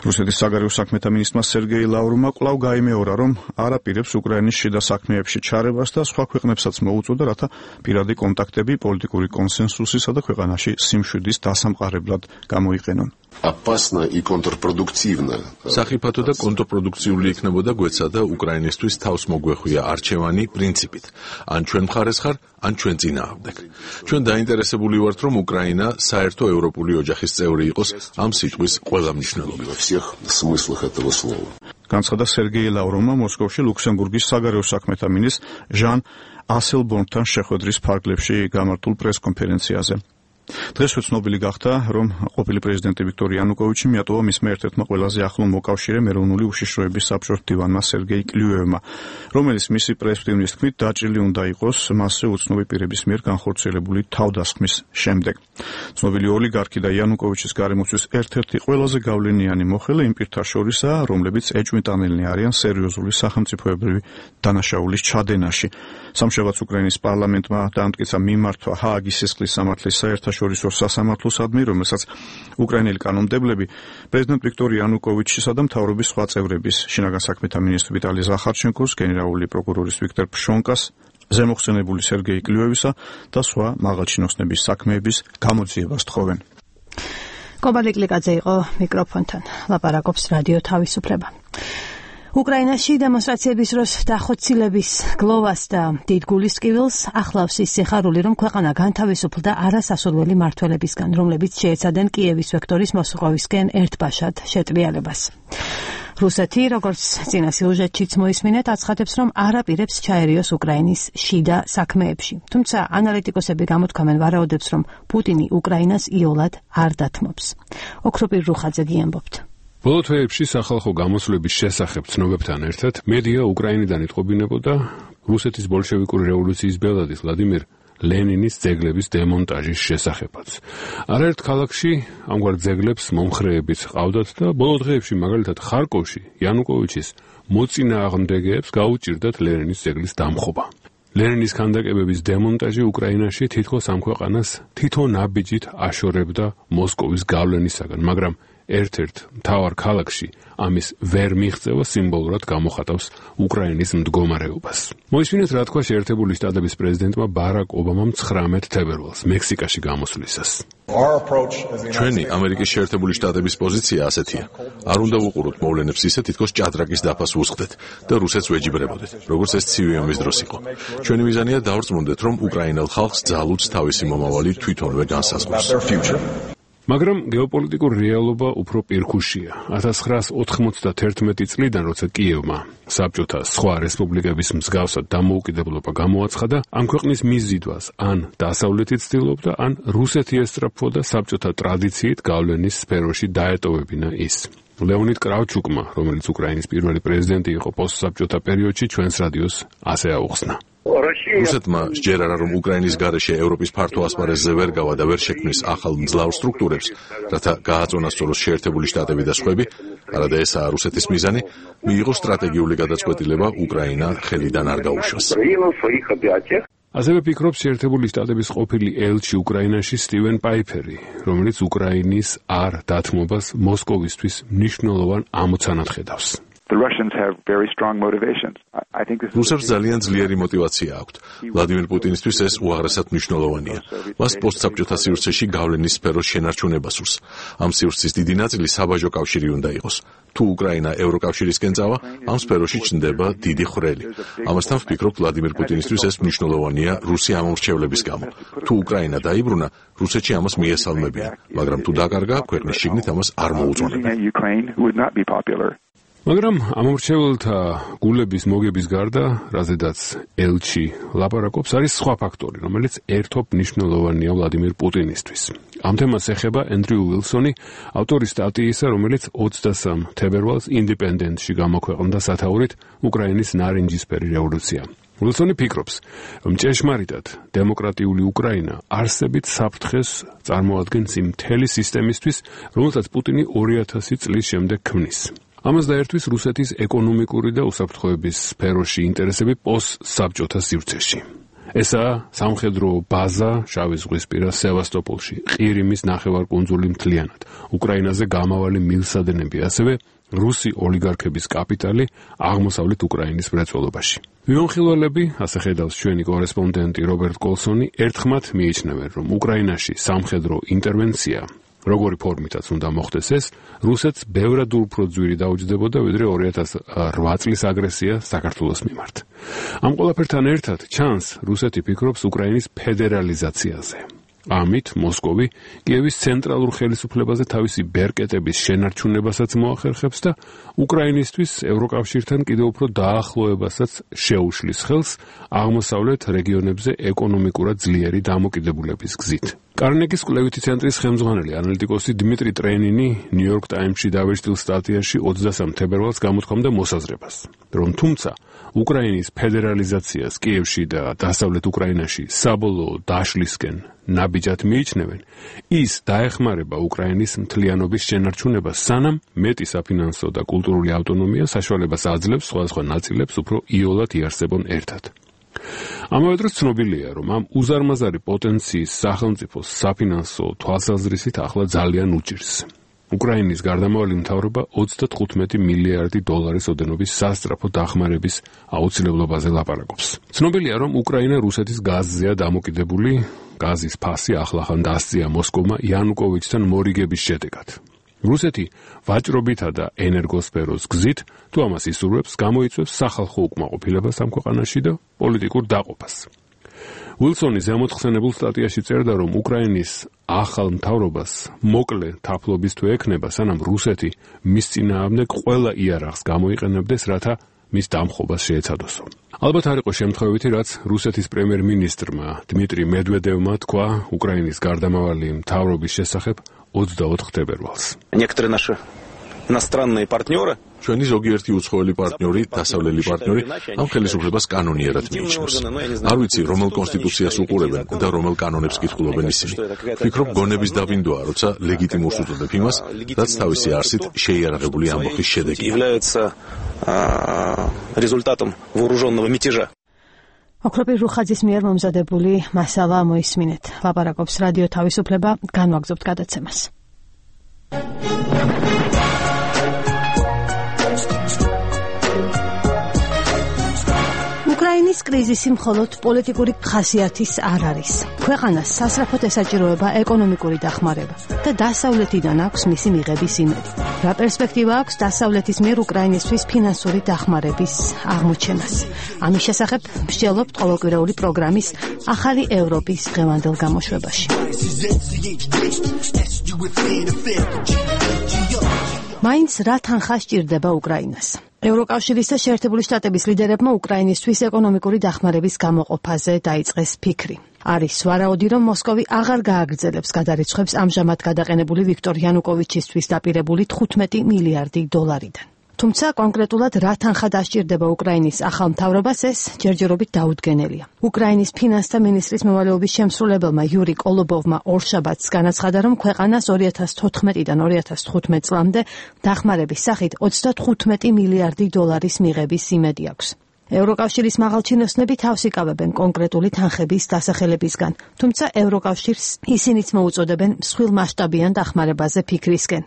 რუსეთის საგარეო საქმეთა მინისტრმა სერგეი ლავროვმა კვლავ გაიმეორა, რომ არ აპირებს უკრაინის შიდა საქმეებში ჩარებას და სხვა ქვეყნებსაც მოუწოდა, რათა პირადი კონტაქტები პოლიტიკური კონსენსუსისა და ქვეყანაში სიმშვიდის დასამყარებლად გამოიყენონ. Опасно и контрпродуктивно. Სახიფათო და კონტრპროდუქციული იქნებოდა გვეცა და უკრაინისთვის თავს მოგვეხვია არჩევანი პრინციპით. ან ჩვენ მხარეს ხარ, ან ჩვენ წინააღმდეგ. ჩვენ დაინტერესებული ვართ, რომ უკრაინა საერთო ევროპული ოჯახის წევრი იყოს ამ სიტყვის ყველა მნიშვნელობით. Во всех смыслах этого слова. განცხადა სერგეი ლავროვმა მოსკოვში ლუქსემბურგის საგარეო საქმეთა მინისტრ ჟან ასელბორნთან შეხვედრის ფარგლებში გამართულ პრესკონფერენციაზე. დღესვე ცნობილი გახდა, რომ ყოფილი პრეზიდენტი ვიქტორ იანუკოვიჩი მიატოვა მისმა ერთ-ერთმა ყველაზე ახლო მოკავშირემ ეროვნული უშიშროების საბჭოს მდივანმა სერგეი კლიუევმა, რომელიც მისი პრესმდივნის თქმით დაჭრილი უნდა იყოს მასზე უცნობი პირების მიერ განხორციელებული თავდასხმის შემდეგ. ცნობილი ოლიგარქი და იანუკოვიჩის გარემოცვის ერთ-ერთი ყველაზე გავლენიანი მოხელე იმ პირთა შორისაა, რომლებიც ეჭვმიტანილნი არიან სერიოზული სახელმწიფოებრივი დანაშაულის ჩადენაში. სამშაბათს უკრაინის პარლამენტმა დაამტკიცა მიმართვა ჰააგის სისხლის სამართლის საერთაშორისო სასამართლოსადმი, რომელსაც უკრაინელი კანონმდებლები პრეზიდენტ ვიქტორ იანუკოვიჩისა და მთავრობის სხვა წევრების, შინაგან საქმეთა მინისტრ ვიტალი ზახარჩენკოს, გენერალური პროკურორის ვიქტორ ფშონკას, ზემოხსენებული სერგეი კლიუევისა და სხვა მაღალჩინოსნების საქმეების გამოძიებას თხოვენ. კობალე კლიკაძე იყო მიკროფონთან. ლაპარაკობს რადიო თავისუფლება. უკრაინაში დემონსტრაციების დროს დახოცილების გლოვას და დიდ გულისწყვილს ახლავს ის სიხარული, რომ ქვეყანა განთავისუფლდა არასასურველი მმართველებისგან, რომლებიც შეეცადნენ კიევის ვექტორის მოსუყავისკენ ერთბაშად შეტრიალებას. რუსეთი, როგორც წინა სიუჟეტშიც მოისმინეთ, აცხადებს, რომ არ აპირებს ჩაერიოს უკრაინის შიდა საქმეებში. თუმცა ანალიტიკოსები გამოთქვამენ ვარაუდებს, რომ პუტინი უკრაინას იოლად არ დათმობს. ოქროპირ რუხაძე გიამბობთ. ბოლო თვეებში სახალხო გამოსვლების შესახებ ცნობებთან ერთად მედია უკრაინიდან იტყობინებოდა რუსეთის ბოლშევიკური რევოლუციის ბელადის ვლადიმირ ლენინის ძეგლების დემონტაჟის შესახებაც. არაერთ ქალაქში ამგვარ ძეგლებს მომხრეებიც ჰყავდათ და ბოლო დღეებში მაგალითად ხარკოვში იანუკოვიჩის მოწინააღმდეგეებს გაუჭირდათ ლენინის ძეგლის დამხობა. ლენინის ქანდაკებების დემონტაჟი უკრაინაში თითქოს ამ ქვეყანას თითო ნაბიჯით აშორებდა მოსკოვის გავლენისაგან, მაგრამ ერთ-ერთ მთავარ ქალაქში ამის ვერ მიღწევა სიმბოლურად გამოხატავს უკრაინის მდგომარეობას. მოისმინეთ რა თქვა შეერთებული შტატების პრეზიდენტმა ბარაკ ობამამ 19 თებერვალს მექსიკაში გამოსვლისას. ჩვენი ამერიკის შეერთებული შტატების პოზიცია ასეთია. არ უნდა ვუყუროთ მოვლენებს ისე, თითქოს ჭადრაკის დაფას ვუსხდეთ და რუსეთს ვეჯიბრებოდეთ, როგორც ეს ცივი ომის დროს იყო. ჩვენი მიზანია დავრწმუნდეთ, რომ უკრაინელ ხალხს ძალუც თავისი მომავალი თვითონვე განსაზღვრავს. მაგრამ გეოპოლიტიკურ რეალობა უფრო პირქუშია. 1991 წლიდან, როცა კიევმა საბჭოთა სხვა რესპუბლიკების მსგავსად დამოუკიდებლობა გამოაცხადა, ამ ქვეყნის მიზიდვას ან დასავლეთი ცდილობდა, ან რუსეთი ესწრაფვოდა საბჭოთა ტრადიციით გავლენის სფეროში დაეტოვებინა ის. ლეონიდ კრავჩუკმა, რომელიც უკრაინის პირველი პრეზიდენტი იყო პოსტსაბჭოთა პერიოდში, ჩვენს რადიოს ასე აუხსნა. რუსეთმა სჯერარა, რომ უკრაინის გარეშე ევროპის ფართო ასპარეზზე ვერ გავა და ვერ შექმნის ახალ მძლავრ სტრუქტურებს, რათა გააწონასწოროს შეერთებული შტატები და სხვები, არადა ესაა რუსეთის მიზანი, მიიღო სტრატეგიული გადაწყვეტილება უკრაინა ხელიდან არ გაუშვას. ასევე ფიქრობს შეერთებული შტატების ყოფილი ელჩი უკრაინაში სტივენ პაიფერი, რომელიც უკრაინის არ დათმობას მოსკოვისთვის მნიშვნელოვან ამოცანად ხედავს. რუსებს ძალიან ძლიერი мотиваცია აქვთ. ვლადიმერ პუტინისთვის ეს უაღრესად მნიშვნელოვანია. მას პოსტსაბჭოთა სივრცეში გავლენის სფეროს შენარჩუნება სურს. ამ სივრცის დიდი ნაწილი საბაჟო კავშირი უნდა იყოს. თუ უკრაინა ევროკავშირისკენ წავა, ამ სფეროში ჩნდება დიდი ხვრელი. ამასთან ვფიქრობ, ვლადიმერ პუტინისთვის ეს მნიშვნელოვანია რუსი ამორჩევლების გამო. თუ უკრაინა დაიბრუნა, რუსეთში ამას მიესალმებიან, მაგრამ თუ დაკარგა, ქვეყნის შიგნით ამას არ მოუწონებენ. მაგრამ ამორჩეველთა გულების მოგების გარდა, რაზედაც ელჩი ლაპარაკობს, არის სხვა ფაქტორი, რომელიც ერთობ მნიშვნელოვანია ვლადიმერ პუტინისთვის. ამ თემას ეხება ენდრიუ უილსონი, ავტორი სტატიისა, რომელიც 23 თებერვალს ინდიპენდენტში გამოქვეყნდა სათაურით უკრაინის ნარინჯისფერი რევოლუცია. უილსონი ფიქრობს, რომ ჭეშმარიტად დემოკრატიული უკრაინა არსებით საფრთხეს წარმოადგენს იმ მთელი სისტემისთვის, რომელსაც პუტინი 2000 წლის შემდეგ ქმნის. ამას დაერთვის რუსეთის ეკონომიკური და უსაფრთხოების სფეროში ინტერესები პოსტსაბჭოთა სივრცეში. ესაა სამხედრო ბაზა შავი ზღვისპირა სევასტოპოლში, ყირიმის ნახევარკუნძული მთლიანად, უკრაინაზე გამავალი მილსადენები, ასევე რუსი ოლიგარქების კაპიტალი აღმოსავლეთ უკრაინის მრეწველობაში. ვიმონხილველები, ასე ხედავს ჩვენი კორესპონდენტი რობერტ კოლსონი, ერთხმად მიიჩნევენ, რომ უკრაინაში სამხედრო ინტერვენცია როგორი ფორმითაც უნდა მოხდეს ეს, რუსეთს ბევრად უფრო ძვირი დაუჯდებოდა, ვიდრე 2008 წლის აგრესია საქართველოს მიმართ. ამ ყველაფერთან ერთად ჩანს, რუსეთი ფიქრობს უკრაინის ფედერალიზაციაზე. ამით მოსკოვი კიევის ცენტრალურ ხელისუფლებაზე თავისი ბერკეტების შენარჩუნებასაც მოახერხებს და უკრაინისთვის ევროკავშირთან კიდევ უფრო დაახლოებასაც შეუშლის ხელს აღმოსავლეთ რეგიონებზე ეკონომიკურად ძლიერი დამოკიდებულების გზით. კარნეგის კვლევითი ცენტრის ხელმძღვანელი ანალიტიკოსი დიმიტრი ტრენინი ნიუ-იორკ ტაიმსში დავეშტილ სტატიაში 23 თებერვალს გამოთქვამდა მოსაზრებას, რომ თუმცა უკრაინის ფედერალიზაციას კიევში და დასავლეთ უკრაინაში საბოლოო დაშლისკენ ნაბიჯად მიიჩნევენ, ის დაეხმარება უკრაინის მთლიანობის შენარჩუნებას, სანამ მეტი საფინანსო და კულტურული ავტონომია საშუალებას აძლევს სხვადასხვა ნაწილებს უფრო იოლად იარსებონ ერთად. ამავე დროს ცნობილია, რომ ამ უზარმაზარი პოტენციის სახელმწიფოს საფინანსო თვალსაზრისით ახლა ძალიან უჭირს. უკრაინის გარდამავალი მთავრობა 35 მილიარდი დოლარის ოდენობის სასწრაფო დახმარების აუცილებლობაზე ლაპარაკობს. ცნობილია, რომ უკრაინა რუსეთის გაზზეა დამოკიდებული, გაზის ფასი ახლახან დასწია მოსკოვმა იანუკოვიჩთან მორიგების შედეგად. რუსეთი ვაჭრობითა და ენერგოსფეროს გზით, თუ ამას ისურვებს, გამოიწვევს სახალხო უკმაყოფილებას ამ ქვეყანაში და პოლიტიკურ დაყოფას. უილსონი ზემოთხსენებულ სტატიაში წერდა, რომ უკრაინის ახალ მთავრობას მოკლე თაფლობის თუ ექნება, სანამ რუსეთი მის წინააღმდეგ ყველა იარაღს გამოიყენებდეს, რათა მის დამხობას შეეცადოსო. ალბათ არ იყო შემთხვევითი, რაც რუსეთის პრემიერ-მინისტრმა დმიტრი მედვედევმა თქვა უკრაინის გარდამავალი მთავრობის შესახებ 24 თებერვალს. Некоторые наши иностранные партнеры ჩვენი ზოგიერთი უცხოელი პარტნიორი, დასავლელი პარტნიორი ამ ხელისუფლებას კანონიერად მიიჩნევს. არ ვიცი, რომელ კონსტიტუციას უყურებენ და რომელ კანონებს კითხულობენ ისინი. ვფიქრობ, გონების დავინდოა, როცა ლეგიტიმურს უწოდებ იმას, რაც თავისი არსით შეიარაღებული ამბოხის შედეგია. результатом вооруженного мятежа. ოქროპիր რუხაძის მიერ მომზადებული მასალა მოისმინეთ. ლაპარაკობს რადიო თავისუფლება, განვაგრძობთ გადაცემას. უკრაინის კრიზისი მხოლოდ პოლიტიკური ხასიათის არ არის. ქვეყანას სასწრაფოდ ესაჭიროება ეკონომიკური დახმარება და დასავლეთიდან აქვს მისი მიღების იმედი. რა პერსპექტივა აქვს დასავლეთის მიერ უკრაინისთვის ფინანსური დახმარების აღმოჩენას? ამის შესახებ მსჯელობთ ყოველკვირეული პროგრამის ახალი ევროპის დღევანდელ გამოშვებაში. მაინც რა თანხა სჭირდება უკრაინას? ევროკავშირის და შეერთებული შტატების ლიდერებმა უკრაინისთვის ეკონომიკური დახმარების გამოყოფაზე დაიწყეს ფიქრი. არის ვარაუდი, რომ მოსკოვი აღარ გააგრძელებს გადარიცხვებს ამჟამად გადაყენებული ვიქტორ იანუკოვიჩისთვის დაპირებული 15 მილიარდი დოლარიდან. თუმცა კონკრეტულად რა თანხა დასჭირდება უკრაინის ახალ მთავრობას, ეს ჯერჯერობით დაუდგენელია. უკრაინის ფინანსთა მინისტრის მოვალეობის შემსრულებელმა იური კოლობოვმა ორშაბათს განაცხადა, რომ ქვეყანას 2014-დან 2015 წლამდე დახმარების სახით 35 მილიარდი დოლარის მიღების იმედი აქვს. ევროკავშირის მაღალჩინოსნები თავს იკავებენ კონკრეტული თანხების დასახელებისგან, თუმცა ევროკავშირს ისინიც მოუწოდებენ მსხვილმასშტაბიან დახმარებაზე ფიქრისკენ.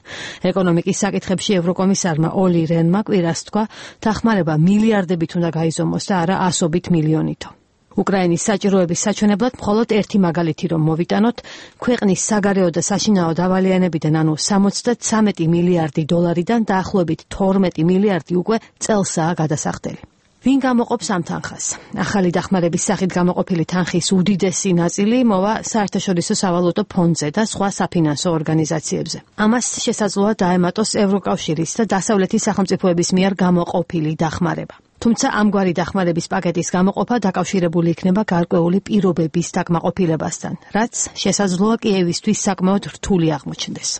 ეკონომიკის საკითხებში ევროკომისარმა ოლი რენმა კვირას თქვა, დახმარება მილიარდებით უნდა გაიზომოს და არა ასობით მილიონითო. უკრაინის საჭიროების საჩვენებლად მხოლოდ ერთი მაგალითი რომ მოვიტანოთ, ქვეყნის საგარეო და საშინაო დავალიანებიდან, ანუ 73 მილიარდი დოლარიდან დაახლოებით 12 მილიარდი უკვე წელსაა გადასახდელი. ვინ გამოყოფს ამ თანხას? ახალი დახმარების სახით გამოყოფილი თანხის უდიდესი ნაწილი მოვა საერთაშორისო სავალუტო ფონდზე და სხვა საფინანსო ორგანიზაციებზე. ამას შესაძლოა დაემატოს ევროკავშირის და დასავლეთის სახელმწიფოების მიერ გამოყოფილი დახმარება. თუმცა ამგვარი დახმარების პაკეტის გამოყოფა დაკავშირებული იქნება გარკვეული პირობების დაკმაყოფილებასთან, რაც შესაძლოა კიევისთვის საკმაოდ რთული აღმოჩნდეს.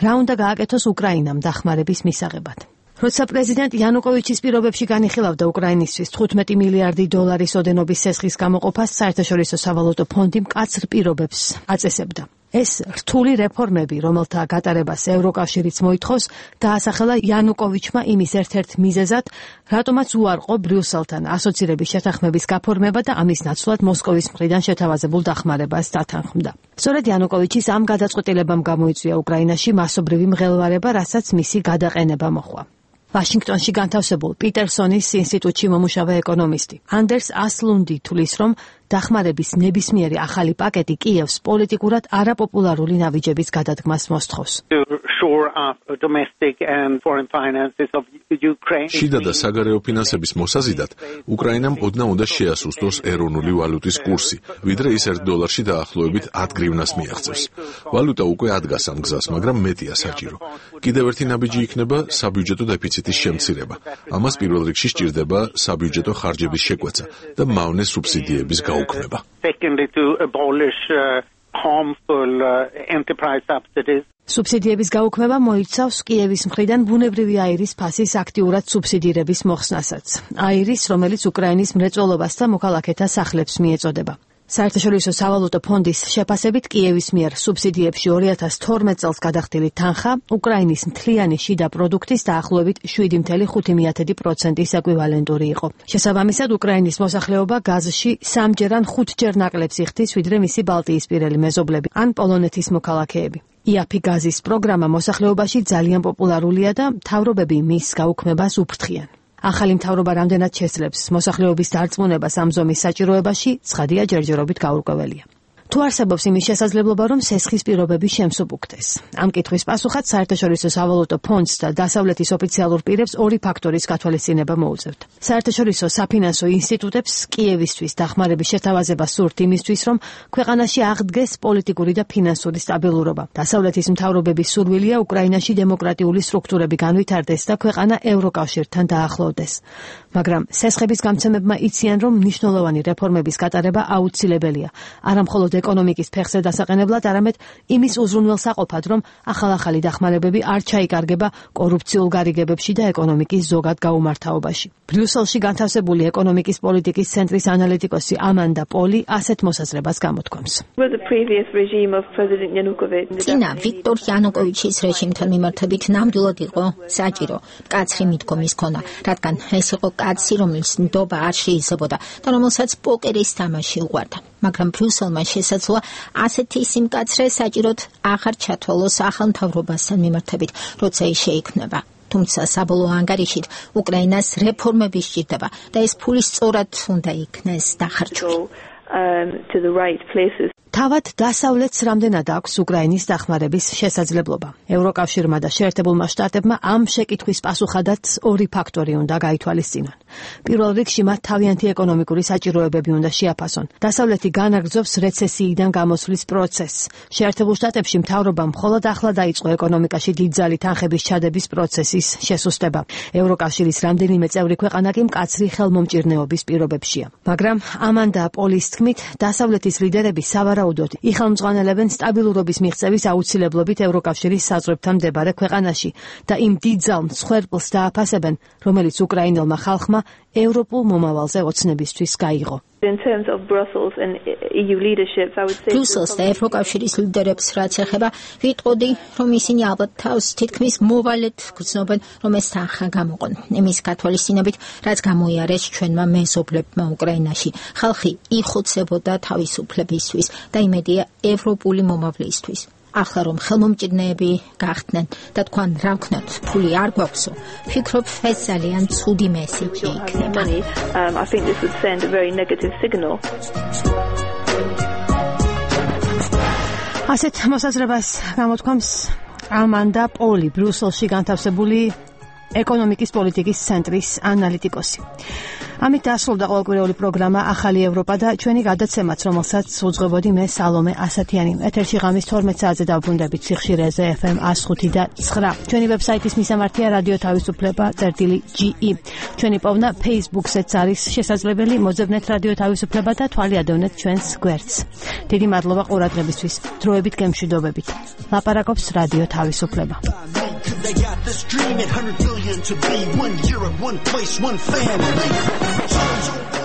რა უნდა გააკეთოს უკრაინამ დახმარების მისაღებად? როცა პრეზიდენტ იანუკოვიჩის პირობებში განიხილავდა უკრაინისთვის 15 მილიარდი დოლარის ოდენობის სესხის გამოყოფას, საერთაშორისო სავალუტო ფონდი მკაცრ პირობებს აწესებდა. ეს რთული რეფორმები, რომელთა გატარებას ევროკავშირიც მოითხოვს, დაასახელა იანუკოვიჩმა იმის ერთ-ერთ მიზეზად, რატომაც უარყო ბრიუსელთან ასოცირების შეთანხმების გაფორმება და ამის ნაცვლად მოსკოვის მხრიდან შეთავაზებულ დახმარებას დათანხმდა. სწორედ იანუკოვიჩის ამ გადაწყვეტილებამ გამოიწვია უკრაინაში მასობრივი მღელვარება, რასაც მისი გადაყენება მოჰყვა. ვაშინგტონში განთავსებულ პიტერსონის ინსტიტუტში მომუშავე ეკონომისტი ანდერს ასლუნდი თვლის, რომ დახმარების ნებისმიერი ახალი პაკეტი კიევს პოლიტიკურად არაპოპულარული ნაბიჯების გადადგმას მოსთხოვს. შიდა და საგარეო ფინანსების მოსაზიდად, უკრაინამ ოდნავ უნდა შეასუსტოს ეროვნული ვალუტის კურსი, ვიდრე ის $1 დაახლოებით 10 გრივნას მიაღწევს. ვალუტა უკვე ადგას ამ გზას, მაგრამ მეტია საჭირო. კიდევ ერთი ნაბიჯი იქნება საბიუჯეტო დეფიციტის შემცირება. ამას პირველ რიგში სჭირდება საბიუჯეტო ხარჯების შეკვეცა და მავნე სუბსიდიების გაუქმება. სუბსიდიების გაუქმება მოიცავს კიევის მხრიდან ბუნებრივი აირის ფასის აქტიურად სუბსიდირების მოხსნასაც. აირის, რომელიც უკრაინის მრეწველობას და მოქალაქეთა სახლებს მიეწოდება. საერთაშორისო სავალუტო ფონდის შეფასებით კიევის მიერ სუბსიდიებში 2012 წელს გადახდილი თანხა უკრაინის მთლიანი შიდა პროდუქტის დაახლოებით 7.5%-ის ეკვივალენტური იყო. შესაბამისად, უკრაინის მოსახლეობა გაზში 3-ჯერ ან 5-ჯერ ნაკლებს იხდის, ვიდრე მისი ბალტიისპირელი მეზობლები ან პოლონეთის მოქალაქეები. იაფი გაზის პროგრამა მოსახლეობაში ძალიან პოპულარულია და მთავრობები მის გაუქმებას უფრთხიან. ახალი მთავრობა რამდენად შესძლებს მოსახლეობის დარწმუნებას ამ ზომის საჭიროებაში, ცხადია ჯერჯერობით გაურკვეველია. თუ არსებობს იმის შესაძლებლობა, რომ სესხის პირობები შემსუბუქდეს. ამ კითხვის პასუხად საერთაშორისო სავალუტო ფონდს და დასავლეთის ოფიციალურ პირებს ორი ფაქტორის გათვალისწინება მოუწევთ. საერთაშორისო საფინანსო ინსტიტუტებს კიევისთვის დახმარების შეთავაზება სურთ იმისთვის, რომ ქვეყანაში აღდგეს პოლიტიკური და ფინანსური სტაბილურობა. დასავლეთის მთავრობების სურვილია უკრაინაში დემოკრატიული სტრუქტურები განვითარდეს და ქვეყანა ევროკავშირთან დაახლოვდეს. მაგრამ სესხების გამცემებმა იციან, რომ მნიშვნელოვანი რეფორმების გატარება აუცილებელია. არა მხოლოდ ეკონომიკის ფეხზე დასაყენებლად, არამედ იმის უზრუნველსაყოფად, რომ ახალ-ახალი დახმარებები არ ჩაიკარგება კორუფციულ გარიგებებში და ეკონომიკის ზოგად გაუმართავობაში. ბრიუსელში განთავსებული ეკონომიკის პოლიტიკის ცენტრის ანალიტიკოსი ამანდა პოლი ასეთ მოსაზრებას გამოთქვამს. წინა ვიქტორ იანუკოვიჩის რეჟიმთან მიმართებით ნამდვილად იყო საჭირო მკაცრი მიდგომის ქონა, რადგან ეს იყო კაცი, რომელიც ნდობა არ შეიზებოდა და რომელსაც პოკერის თამაში უყვარდა. მაგრამ ბრიუსელმა შესაძლოა ასეთი სიმკაცრე საჭიროდ აღარ ჩათვალოს სახელმთავრობასთან მიმართებით, როცა ის შეიქმნება. თუმცა საბოლოო ანგარიშით უკრაინას რეფორმები სჭირდება და ეს ფული სწორად უნდა იქნეს დახარჯული. თავად დასავლეთს რამდენად აქვს უკრაინის დახმარების შესაძლებლობა. ევროკავშირმა და შეერთებულმა შტატებმა ამ შეკითხვის პასუხადაც ორი ფაქტორი უნდა გაითვალისწინონ. პირველ რიგში მათ თავიანთი ეკონომიკური საჭიროებები უნდა შეაფასონ. დასავლეთი განაგრძობს რეცესიიდან გამოსვლის პროცესს. შეერთებულ შტატებში მთავრობამ მხოლოდ ახლა დაიწყო ეკონომიკაში დიდძალი თანხების ჩადების პროცესის შესუსტება. ევროკავშირის რამდენიმე წევრი ქვეყანა კი მკაცრი ხელმომჭირნეობის პირობებშია. მაგრამ ამანდა პოლის თქმით, დასავლეთის ლიდერები სავარაუდოდ იხელმძღვანელებენ სტაბილურობის მიღწევის აუცილებლობით ევროკავშირის საზღვრებთან მდებარე ქვეყანაში და იმ დიდძალ მსხვერპლს დააფასებენ, რომელიც უკრაინელმა ხალხმა ევროპულ მომავალზე ოცნებისთვის გაიღო. ბრიუსელს და ევროკავშირის ლიდერებს რაც ეხება, ვიტყოდი, რომ ისინი ალბათ თავს თითქმის მოვალედ გრძნობენ, რომ ეს თანხა გამოყონ. იმის გათვალისწინებით, რაც გამოიარეს ჩვენმა მეზობლებმა უკრაინაში, ხალხი იხოცებოდა თავისუფლებისთვის და იმედია ევროპული მომავლისთვის. ახლა რომ ხელმომჭირნეები გახდნენ და თქვენ რა ვქნათ, ფული არ გვაქვსო, ვფიქრობ, ეს ძალიან ცუდი მესიჯი იქნება. ასეთ მოსაზრებას გამოთქვამს ამანდა პოლი, ბრიუსელში განთავსებული ეკონომიკის პოლიტიკის ცენტრის ანალიტიკოსი. ამით დასრულდა ყოველკვირეული პროგრამა ახალი ევროპა და ჩვენი გადაცემაც, რომელსაც უძღვებოდი მე სალომე ასათიანი. ეთერში ღამის 12 საათზე დავბრუნდებით სიხშირეზე FM 105 და 9. ჩვენი ვებსაიტის მისამართია რადიო თავისუფლება.ge. ჩვენი პოვნა Facebook-ზეც არის შესაძლებელი. მოძებნეთ რადიო თავისუფლება და თვალი ადევნეთ ჩვენს გვერდს. დიდი მადლობა ყურადღებისთვის. დროებით გემშვიდობებით. ლაპარაკობს რადიო თავისუფლება. They got this dream at 100 billion to be one Europe, one place, one family.